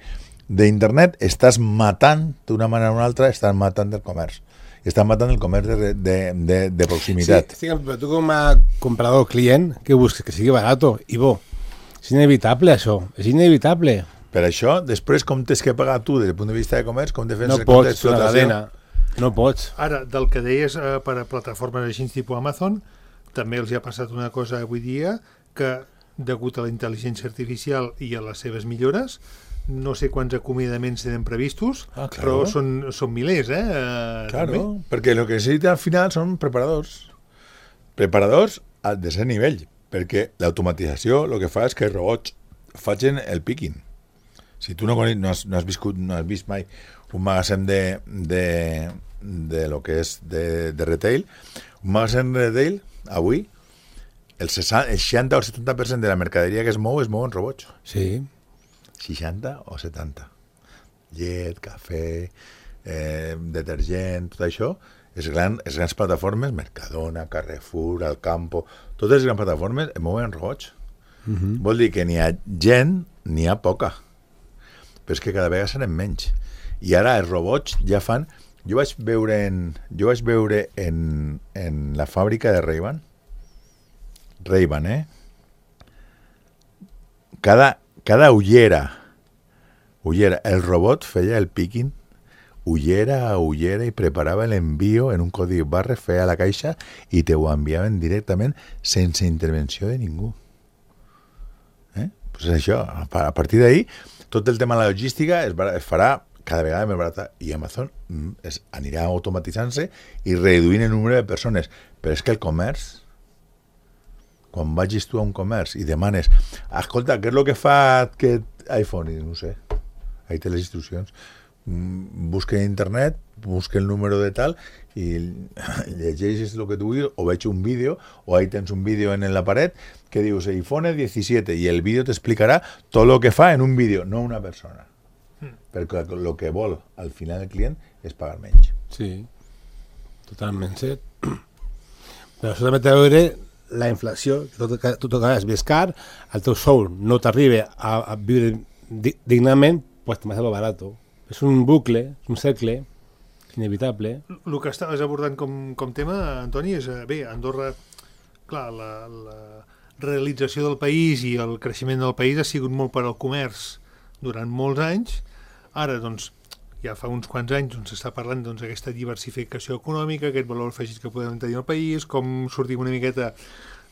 d'internet, estàs matant, d'una manera o una altra, estàs matant el comerç. Estan matant el comerç de, de, de, de proximitat. Sí, però tu com a comprador client, que busques? Que sigui barato i bo. És inevitable, això. És inevitable. Per això, després, com tens que pagar tu des del punt de vista de comerç, com defenses no el compte pots, la cadena. No pots. Ara, del que deies eh, per a plataformes així tipus Amazon, també els hi ha passat una cosa avui dia, que degut a la intel·ligència artificial i a les seves millores, no sé quants acomiadaments tenen previstos, ah, claro. però són, són milers, eh? eh claro, també. perquè el que necessita al final són preparadors. Preparadors a desè nivell, perquè l'automatització el que fa és que els robots facin el picking. Si tu no, coneix, no, has, no has viscut, no has vist mai un magatzem de, de, de lo que és de, de retail, un magatzem de retail, avui, el, seixanta, el seixanta o el setanta per cent de la mercaderia que es mou es mou en robots. Sí. seixanta o setanta. Llet, cafè, eh, detergent, tot això, les grans, les grans plataformes, Mercadona, Carrefour, Alcampo, totes les grans plataformes es mouen en robots. Uh-huh. Vol dir que n'hi ha gent, n'hi ha poca. Però és que cada vegada serem menys. I ara els robots ja fan... Jo vaig veure en, jo vaig veure en, en la fàbrica de Ray-Ban, Ray-Ban, eh? Cada... Cada ullera, ullera, el robot feia el picking, ullera a ullera i preparava l'envío en un codi barra, feia la caixa i te ho enviaven directament sense intervenció de ningú. Eh? Pues això, a partir d'ahí, tot el tema de la logística es, es farà cada vegada més barata i Amazon es, anirà automatitzant-se i reduint el número de persones. Però és que el comerç, quan vagis tu a un comerç i demanes, escolta, què és el que fa aquest iPhone? I no sé, ahí té les instruccions. Busca en internet, busca el número de tal i llegeixes el que tu vulguis o veig un vídeo o ahí tens un vídeo en la paret que dius iPhone diecisiete i el vídeo t'explicarà tot el que fa en un vídeo, no una persona. Mm. Perquè el que vol al final el client és pagar menys. Sí, totalment cert. Però això també té a veure la inflació, tot, tot que és més car, el teu sou no t'arriba a, a viure dignament, pues te m'has lo barato. És un bucle, és un cercle inevitable. El que estaves abordant com, com tema, Antoni, és, bé, Andorra, clar, la, la realització del país i el creixement del país ha sigut molt per al comerç durant molts anys. Ara, doncs, ja fa uns quants anys on s'està parlant doncs, d'aquesta diversificació econòmica, aquest valor afegit que podem tenir al país, com sortim una miqueta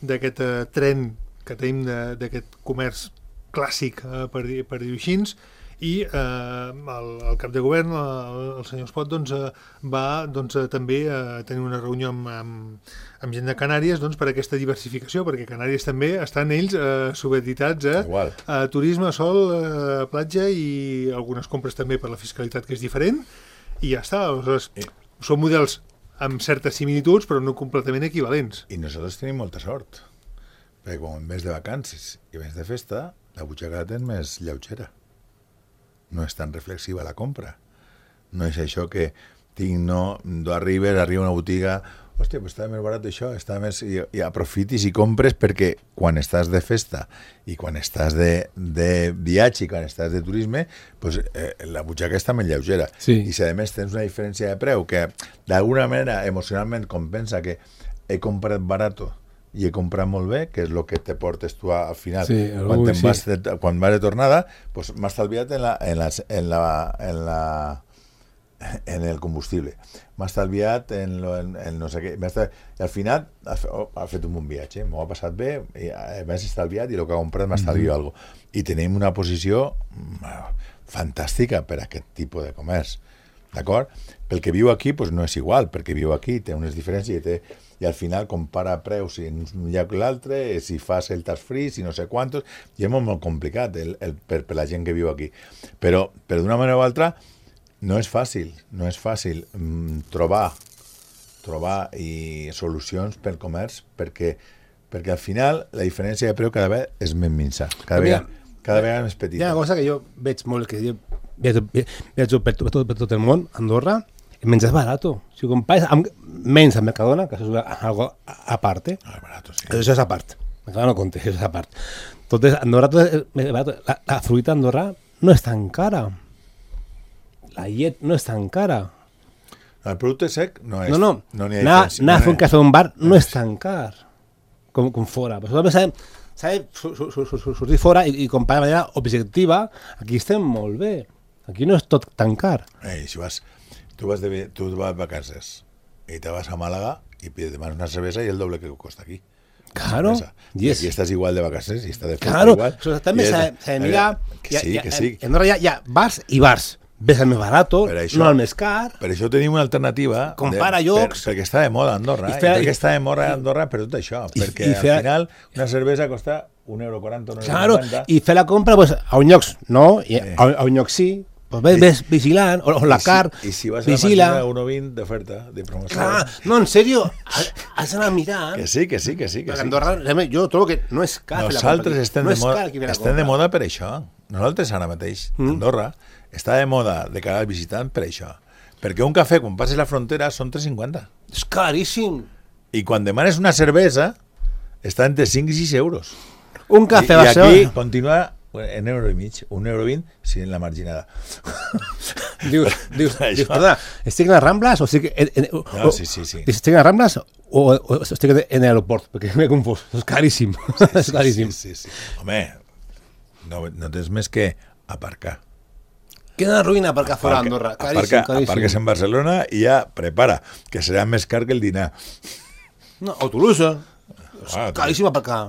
d'aquest uh, tren que tenim d'aquest comerç clàssic, uh, per, dir, per dir-ho així, i eh, el, el cap de govern, el, el senyor Espot, doncs, eh, va doncs, eh, també eh, tenir una reunió amb, amb, amb gent de Canàries doncs, per aquesta diversificació, perquè Canàries també estan ells eh, subeditats a, a turisme, sol, eh, platja i algunes compres també per la fiscalitat, que és diferent, i ja està. Aleshores, són models amb certes similituds, però no completament equivalents. I nosaltres tenim molta sort, perquè quan en vez de vacances i en vez de festa, la butxaca la tens més lleugera. No és tan reflexiva la compra. No és això que tinc, no, tu arribes, arriba a una botiga, hòstia, pues està més barat això, està més... I, i aprofitis i compres perquè quan estàs de festa i quan estàs de, de viatge i quan estàs de turisme, pues, eh, la butxaca està més lleugera. Sí. I si a més tens una diferència de preu que d'alguna manera emocionalment compensa que he comprat barato i he comprat molt bé, que és el que te portes tu al final. Sí, quan, sí. vas de, quan vas de tornada, pues, m'ha estalviat en la... En la, en la, en la en el combustible, m'ha estalviat en, lo, en, en no sé què, i al final ha, oh, ha fet un bon viatge, m'ho ha passat bé, m'ha estalviat i el que ha comprat m'ha estalviat mm-hmm. alguna cosa. I tenim una posició fantàstica per a aquest tipus de comerç, d'acord? Pel que viu aquí pues, no és igual, perquè viu aquí, té unes diferències i, té, i al final compara preus en un lloc i l'altre, si fas el tax free, si no sé quantos, i és molt, molt complicat el, el, per, per la gent que viu aquí. Però, però d'una manera o altra, no és fàcil, no és fàcil mm, trobar trobar i solucions pel comerç perquè, perquè al final la diferència de preu cada vegada és més minsa, cada vegada, cada vegada més petita. Hi ha una cosa que jo veig molt, que jo viatjo, viatjo per, tot, per tot el món, Andorra, el menjar és barat. Si ho compares amb, menys amb Mercadona, que això és algo a part, Ah, barato, sí. això és a part. Mercadona no compte, això és a part. Tot és, Andorra tot és barat. La, la fruita d'Andorra no és tan cara. La llet no és tan cara. El producte sec no és... No, no. no n'hi ha anar, diferència. anar a fer un cafè a un bar no, no és tan car com, com fora. Però també s'ha de sortir fora i, i comparar de manera objectiva. Aquí estem molt bé. Aquí no és tot tan car. Ei, si vas, tu vas de, tu vas de vacances i te vas a Màlaga i demanes una cervesa i el doble que costa aquí. Claro. I yes. Aquí estàs igual de vacances i està de festa claro. igual. Claro, també s'ha de mirar... Que sí, que sí. En Andorra hi ha bars i bars. Ves el més barat, això, no el més car. Per això tenim una alternativa. Compara de, llocs. Per, perquè està de moda a Andorra. I fer, eh? Perquè està de moda a Andorra per tot això. I, perquè i fer, al final una cervesa costa un euro quaranta, un euro claro, cinquanta. I fer la compra pues, a un lloc no, i a, a un lloc sí. Pues ves, ves vigilant, o, o la car, I si, i si vas vigila. a la màquina un euro vint d'oferta, de promoció. Clar, no, en sèrio, has d'anar mirant. Que sí, que sí, que sí. Que sí. Andorra, jo trobo que no és car. Nosaltres estem, no de, moda, car estem de moda per això. Nosaltres ara mateix, mm. Andorra, està de moda de cara al visitant per això. Perquè un cafè, quan passes la frontera, són tres cinquanta. És caríssim. I quan demanes una cervesa, està entre cinc i sis euros. Un cafè I, va ser... I aquí continua en euro i mig, un euro vint, si en la marginada. Dius, dius, dius perdona, estic en les Rambles o estic en, en, o, no, sí, sí, sí. Estic en les Rambles o, o estic en l'aeroport? Perquè m'he confós. És caríssim. Sí, sí, és caríssim. Sí, sí, sí. Home, no, no tens més que aparcar. Quina ruïna aparcar fora d'Andorra. Caríssim, aparca, caríssim. Aparques en Barcelona i ja prepara, que serà més car que el dinar. No, o Toulouse. Ah, caríssim aparcar.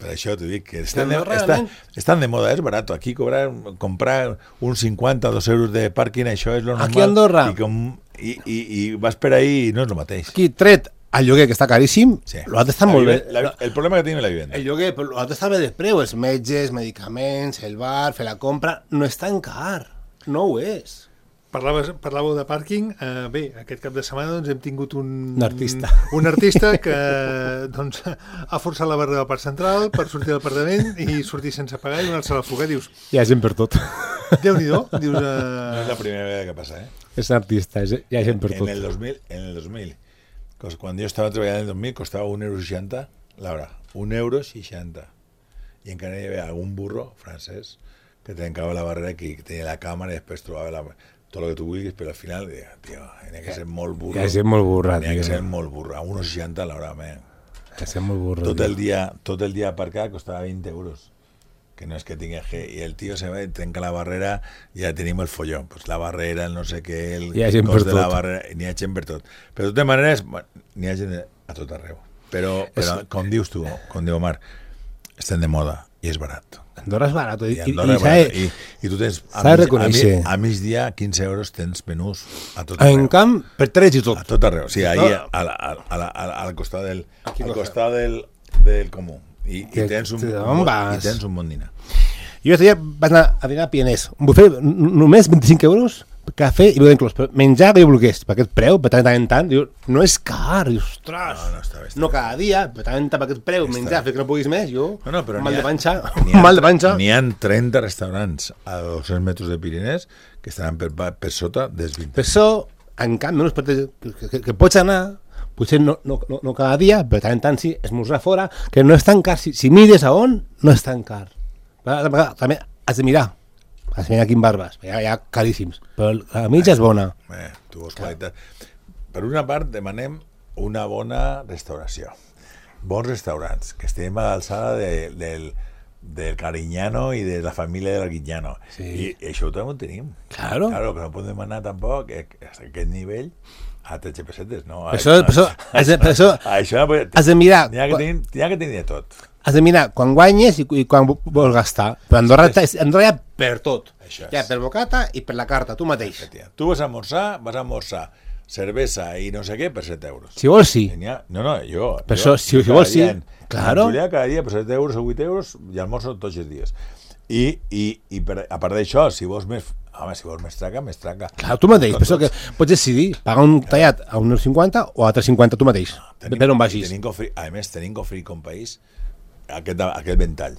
Per això t'ho dic, que estan de, està, estan de moda, és barat. Aquí cobrar, comprar uns cinquanta, dos euros de pàrquing, això és lo normal. Aquí a Andorra. I, com, i, i, i vas per ahí i no és el mateix. Aquí tret el lloguer, que està caríssim, sí. l'altre està la molt bé. La, el problema que tenim és la vivenda. El lloguer, però l'altre està bé de preu, els metges, medicaments, el bar, fer la compra, no és tan car. No ho és. Parlaves, parlàveu de pàrquing. Uh, bé, aquest cap de setmana doncs, hem tingut un, un artista un artista que doncs, ha forçat la barra del Parc Central per sortir del apartament i sortir sense pagar i donar-se la fuga. Dius, hi ha gent per tot. Déu-n'hi-do. Dius, uh... No és la primera vegada que passa, eh? És artista, és, hi ha gent per tot. En el dos mil, en el dos mil, quan jo estava treballant en el dos mil, costava un euro seixanta l'hora. Un euro seixanta. I encara hi havia algun burro francès que trencava la barrera, que tenia la càmera i després trobava la... tot el que tu vulguis, però al final, tio, n'hi ha que ser molt burro. N'hi ha que ser molt burra, N'hi ha que ser molt burro. A un euro seixanta l'hora, man. N'hi ha que ser molt burro. Tot el dia, tot el dia aparcar costava vint euros. Que no és que tingui G. I el tio se va i trenca la barrera i ja tenim el follón. Pues la barrera, el no sé què, el hi ha gent cost per de la tot. barrera... N'hi ha gent per tot. Però de totes maneres, bueno, n'hi ha gent a tot arreu. Però, però és... com dius tu, com diu Omar, estem de moda i és barat. Andorra és barat. I, I, Andorra i, és barat. I, i tu tens a, mig, a, mi, a migdia quinze euros tens menús a tot arreu. En camp, per tres i tot. A tot arreu. O sigui, ahir al, al, al, al, al costat del, al costat del, del comú. I, i, tens un, un, i tens un bon dinar. Jo aquest dia vaig anar a dinar a Pienés. Un bufet només vint-i-cinc euros, cafè i beure inclòs. Menjar que jo volgués, per aquest preu, per tant en tant, diu, no és car, dius, ostres, no, no, està bé, està no cada dia, per tant per aquest preu, està menjar, fer que no puguis més, jo, no, no, mal de panxa, ha, mal de panxa. N'hi ha trenta restaurants a dos-cents metres de Pirinès que estaran per, per sota dels vint. Per això, en canvi, no, que, que, que pots anar, potser no, no, no, no cada dia, però tant tant sí, esmorzar fora, que no és tan car. Si, si mires a on, no és tan car. També has de mirar. Has de mirar quin barbes. Hi ha, hi ha caríssims. Però la mitja és bona. Eh, tu vols qualitat. Per una part, demanem una bona restauració. Bons restaurants, que estem a l'alçada de, del, del Cariñano i de la família de l'Arguiñano. Sí. I, I això també ho tenim. Claro. Claro, que no podem demanar tampoc que, que a aquest nivell a tretze pessetes, no? Per això, per això, has de, per això això has de mirar... N'hi ha que tenir, n'hi ha que tenir de tot. Has de mirar quan guanyes i, i quan vols gastar. Però Andorra, Andorra hi ha per tot. Això és. Hi ha per bocata i per la carta, tu mateix. Tu vas a almorzar, vas a almorzar cervesa i no sé què per set euros. Si vols, sí. Tenia... No, no, jo... Per jo, això, si, si vols, sí. En, Claro. En Julià cada dia per set euros o vuit euros i almorzo tots els dies. I, i, i per, a part d'això, si vols més... Home, si vols més traca, més traca. Clar, tu mateix, per això que pots decidir pagar un tallat a un euro cinquanta o a tres cinquanta tu mateix, Tenim, per on vagis. Tenim que oferir, a més, tenim que oferir com país aquest, aquest ventall.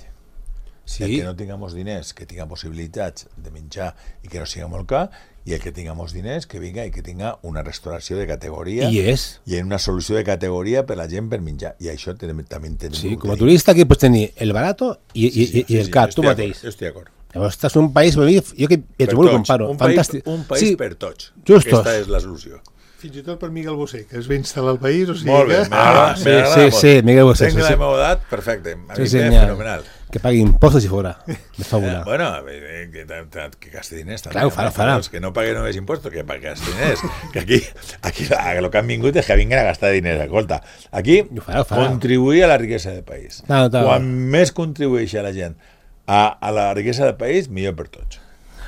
Sí. El que no tinguem diners, que tinga possibilitats de menjar i que no sigui molt car, i el que tinguem diners, que vinga i que tinga una restauració de categoria I és. i una solució de categoria per la gent per menjar. I això també tenim. Sí, com a turista aquí pots tenir el barato i, Sí, sí, i, i sí, el sí, car, jo tu estic mateix. d'acord, Jo estic d'acord. Llavors estàs en un país, per mi, jo que et Per ho tots, comparo, un fantàstic. País, un país sí, per tots. Justos. Aquesta és la solució. Fins i tot per Miguel Bosé, que es va instal·lar al país, o sigui Molt bé, que... m'agrada, Ah, sí, m'agrada sí, molt. sí, Miguel Bosé, Tenc sí, la sí. meva edat, perfecte. A Sí, mi sí, m'és ja. fenomenal. Que pagui impostos i fora. De Eh, fabula. bueno, eh, que, que, que gasti diners també. Clar, ho farà, home, farà. Que no pagui només impostos, que pagui gasti diners. Que aquí, aquí el que han vingut és que vinguin a gastar diners. Escolta, aquí Ho farà, ho farà. contribuir a la riquesa del país. Clar, clar. Quan més contribueixi a la gent a, a la riquesa del país, millor per tots.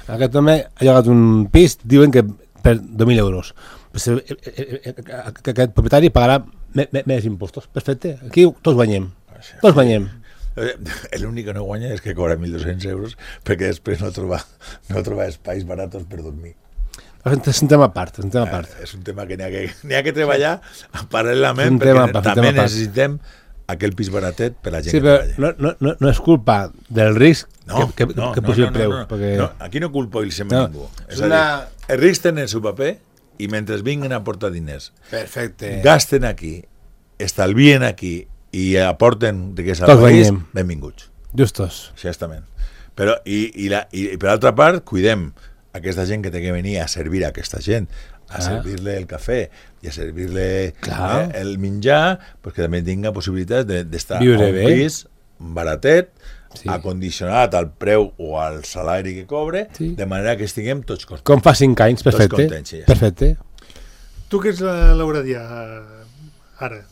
Aquest home ha llogat un pis, diuen que per dos mil euros. Pues, eh, eh, eh, eh, aquest propietari pagarà me- me- més impostos. Perfecte. Aquí tots guanyem. Tots guanyem. Eh, L'únic que no guanya és que cobra mil dos-cents euros perquè després no troba, no troba espais baratos per dormir. És un tema a part, és un tema a part. Eh, és un tema que n'hi ha que, n'hi ha que treballar paral·lelament És un perquè tema a part, un també tema a part. necessitem aquell pis baratet per la gent Sí, que però treballa. no, no, no, no és culpa del risc No, que, que, no, que no, pugi no, el preu. no, no, perquè... no, aquí no culpo el sempre No, ningú. és És a una- dir, els rics tenen el seu paper i mentre vinguin a aportar diners, Perfecte. gasten aquí, estalvien aquí i aporten riquesa al Tots país, guanyem. benvinguts. Justos. Exactament. Però, i, i, la, i, i per altra part, cuidem aquesta gent que té que venir a servir a aquesta gent, a Ah. servir-le el cafè i a servir-le Clar. eh, el menjar, pues que també tinga possibilitats de- d'estar Viure a un bé. pis baratet, Sí. acondicionat al preu o al salari que cobre, Sí. de manera que estiguem tots contents. Com fa cinc anys, perfecte. contents, sí, ja. Perfecte. Tu que ets la Lauradià, ara,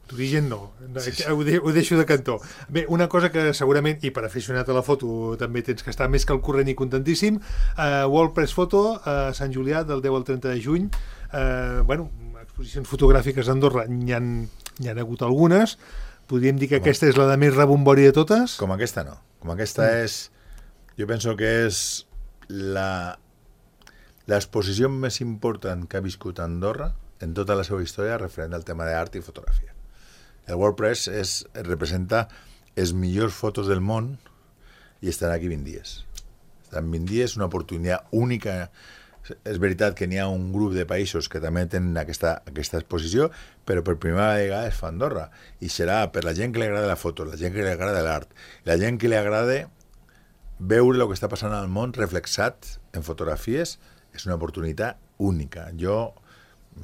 d'origen no, Sí, sí. Ho, de, ho deixo de cantó. Bé, una cosa que segurament, i per aficionat a la foto també tens que estar més que al corrent i contentíssim, uh, World Press Photo a Sant Julià del deu al trenta de juny, uh, bueno, exposicions fotogràfiques a Andorra n'hi ha, n'hi ha hagut algunes, podríem dir que aquesta és la de més rebombori de totes. Com aquesta no. Com aquesta és... Jo penso que és la l'exposició més important que ha viscut Andorra en tota la seva història referent al tema d'art i fotografia. El WordPress és, representa les millors fotos del món i estan aquí vint dies. Estan vint dies, una oportunitat única. És veritat que n'hi ha un grup de països que també tenen aquesta, aquesta exposició, però per primera vegada es fa a Andorra. I serà per la gent que li agrada la foto, la gent que li agrada l'art, la gent que li agrada veure el que està passant al món reflexat en fotografies, és una oportunitat única. Jo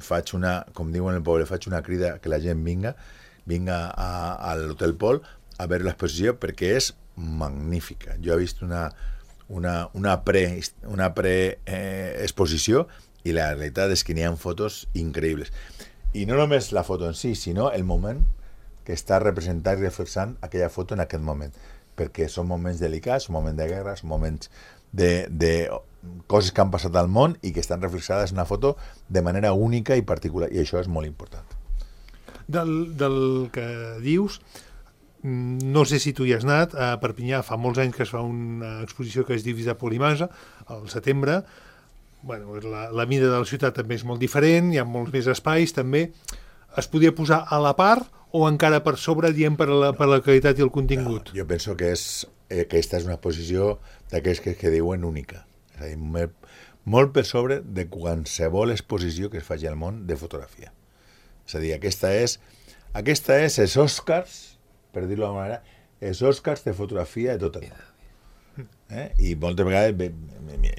faig una, com diuen el poble, faig una crida que la gent vinga, vinga a, a l'Hotel Pol a veure l'exposició perquè és magnífica. Jo he vist una, una, una pre, una pre eh, exposició i la realitat és que n'hi ha fotos increïbles. I no només la foto en si, sinó el moment que està representant i reflexant aquella foto en aquest moment, perquè són moments delicats, són moments de guerra, són moments de, de coses que han passat al món i que estan reflexades en una foto de manera única i particular, i això és molt important. Del, del que dius, no sé si tu hi has anat, a Perpinyà fa molts anys que es fa una exposició que es diu Visa Polimasa, al setembre. Bueno, la, la mida de la ciutat també és molt diferent, hi ha molts més espais, també. Es podia posar a la part o encara per sobre, diem, per la, per la qualitat i el contingut? No, jo penso que és, eh, aquesta és una exposició d'aquells que, que diuen única. És a dir, molt per sobre de qualsevol exposició que es faci al món de fotografia. És a dir, aquesta és, aquesta és els Oscars, per dir-ho d'alguna manera, els Oscars de fotografia de tota la vida. Eh? I moltes vegades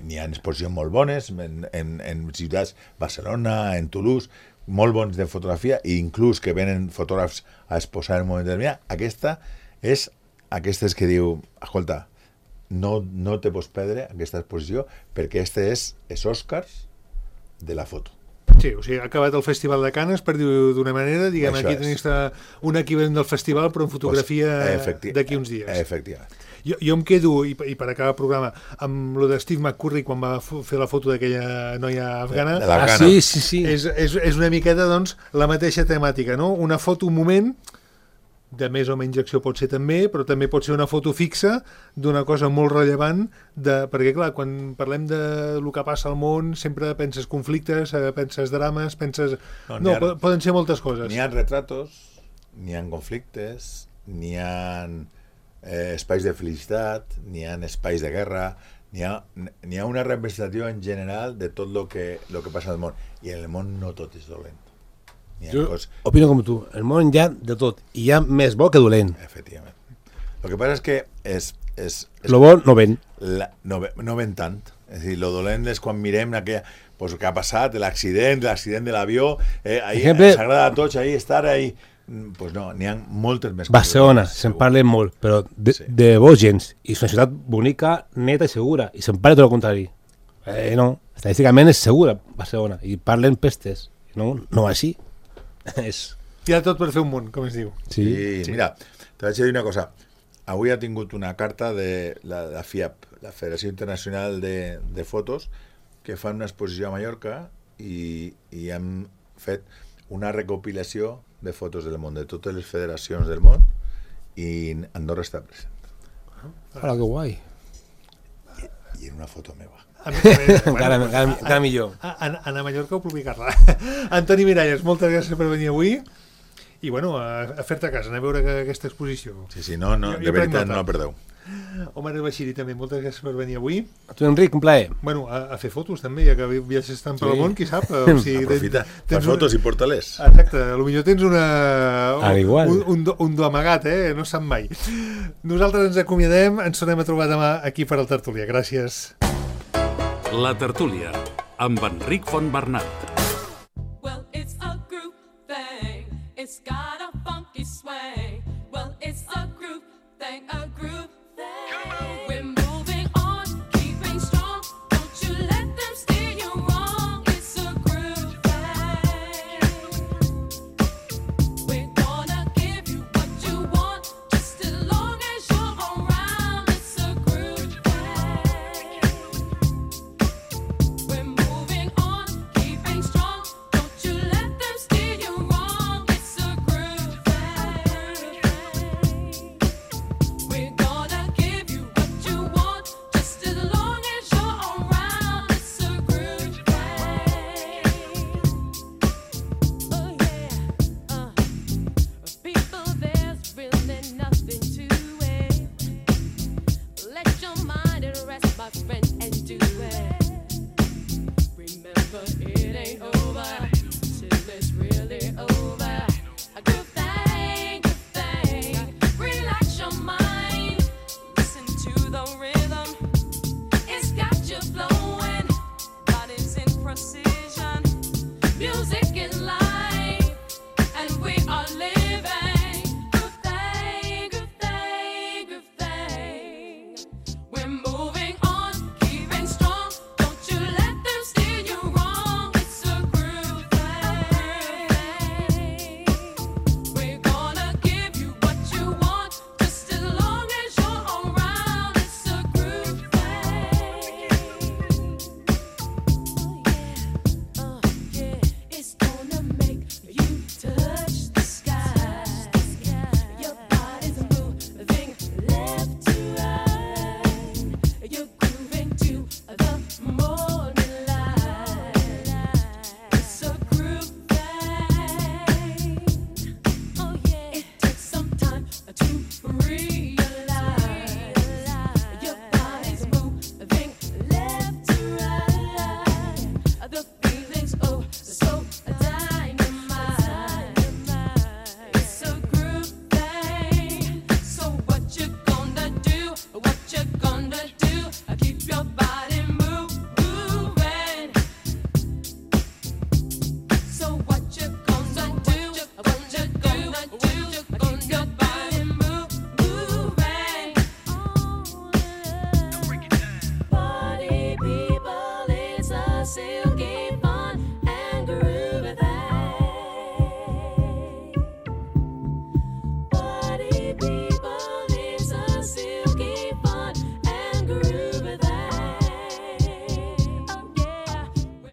n'hi ha exposicions molt bones en, en, en ciutats, Barcelona, en Toulouse, molt bons de fotografia, i inclús que venen fotògrafs a exposar en un moment determinat. Aquesta és aquestes que diu, escolta, no, no te pots perdre aquesta exposició perquè este és els Oscars de la foto. Sí, o sigui, ha acabat el Festival de Canes, per dir-ho d'una manera, diguem, Això aquí és. tenim un equivalent del festival, però en fotografia Efecti- d'aquí uns dies. Efectivament. Jo, jo em quedo, i, i per acabar el programa, amb lo de Steve McCurry quan va f- fer la foto d'aquella noia afgana. De la- Ah, Afgana. sí, sí, sí. És, és, és una miqueta, doncs, la mateixa temàtica, no? Una foto, un moment, de més o menys acció pot ser també, però també pot ser una foto fixa d'una cosa molt rellevant, de, perquè clar, quan parlem de lo que passa al món, sempre penses conflictes, eh, penses drames, penses... No, No, n'hi ha- po- poden ser moltes coses. N'hi ha retratos, n'hi ha conflictes, n'hi ha eh, espais de felicitat, n'hi ha espais de guerra, n'hi ha, n'hi ha una representació en general de tot el que, lo que passa al món. I en el món no tot és dolent. N'hi ha Jo coses... opino com tu. El món hi ha de tot. I hi ha més bo que dolent. Efectivament. El que passa és que és, és, és Lo bo no ven. la, no, ve- no ven tant. És a dir, lo dolent és quan mirem aquella, pues, el que ha passat, l'accident, l'accident de l'avió, eh, ahí, Ejemplo- ens agrada a tots ahí estar ahí. Mm, Pues no, n'hi ha moltes més Barcelona, coses. se'n segur. parla molt, però de, Sí. de bo gens. I és una ciutat bonica, neta i segura. I se'n parla tot el contrari. Eh, no, estadísticament és segura Barcelona. I parlen pestes. No, no així. és... Hi ha tot per fer un món, com es diu. Sí. I, mira, te vaig a dir una cosa. Avui ha tingut una carta de la, la F I A P, la Federació Internacional de, de Fotos, que fan una exposició a Mallorca i, i han fet una recopilació de fotos del món, de totes les federacions del món, i Andorra està present. Hola, que guai. I en una foto meva. A mi, a mi, Encara, encara, encara millor. a, a, anar a Mallorca o publicar-la. Antoni Miralles, moltes gràcies per venir avui. I, bueno, a, a fer-te a casa, anar a veure que, aquesta exposició. Sí, sí, no, no, Jo- jo de prenc veritat nota. no la perdeu. Omar El Bashiri, també, moltes gràcies per venir avui. A tu, Enric, un plaer. Bueno, a, a fer fotos, també, ja que viatges tant per Sí. al món, qui sap? O sigui, Aprofita, tens- fas tens fotos una... i porta-les. Exacte, potser tens una... Al igual. un, un, do, un do amagat, eh? No sap mai. Nosaltres ens acomiadem, ens tornem a trobar demà aquí per al Tertúlia. Gràcies. La Tertúlia, amb Enric Fontbernat. Well, it's a group thing. It's got a funky swing. Well, it's a group thing, a group thing. We're moving on, keeping strong. Don't you let them steer you wrong. It's a group thing. We're gonna give you what you want, just as long as you're around. It's a group thing. We're moving on, keeping strong. Don't you let them steer you wrong. It's a group thing. We're gonna give you what you want, just as long as you're around. It's a group thing. Oh yeah, uh, people, there's really nothing to it. Let your mind at rest, my friend.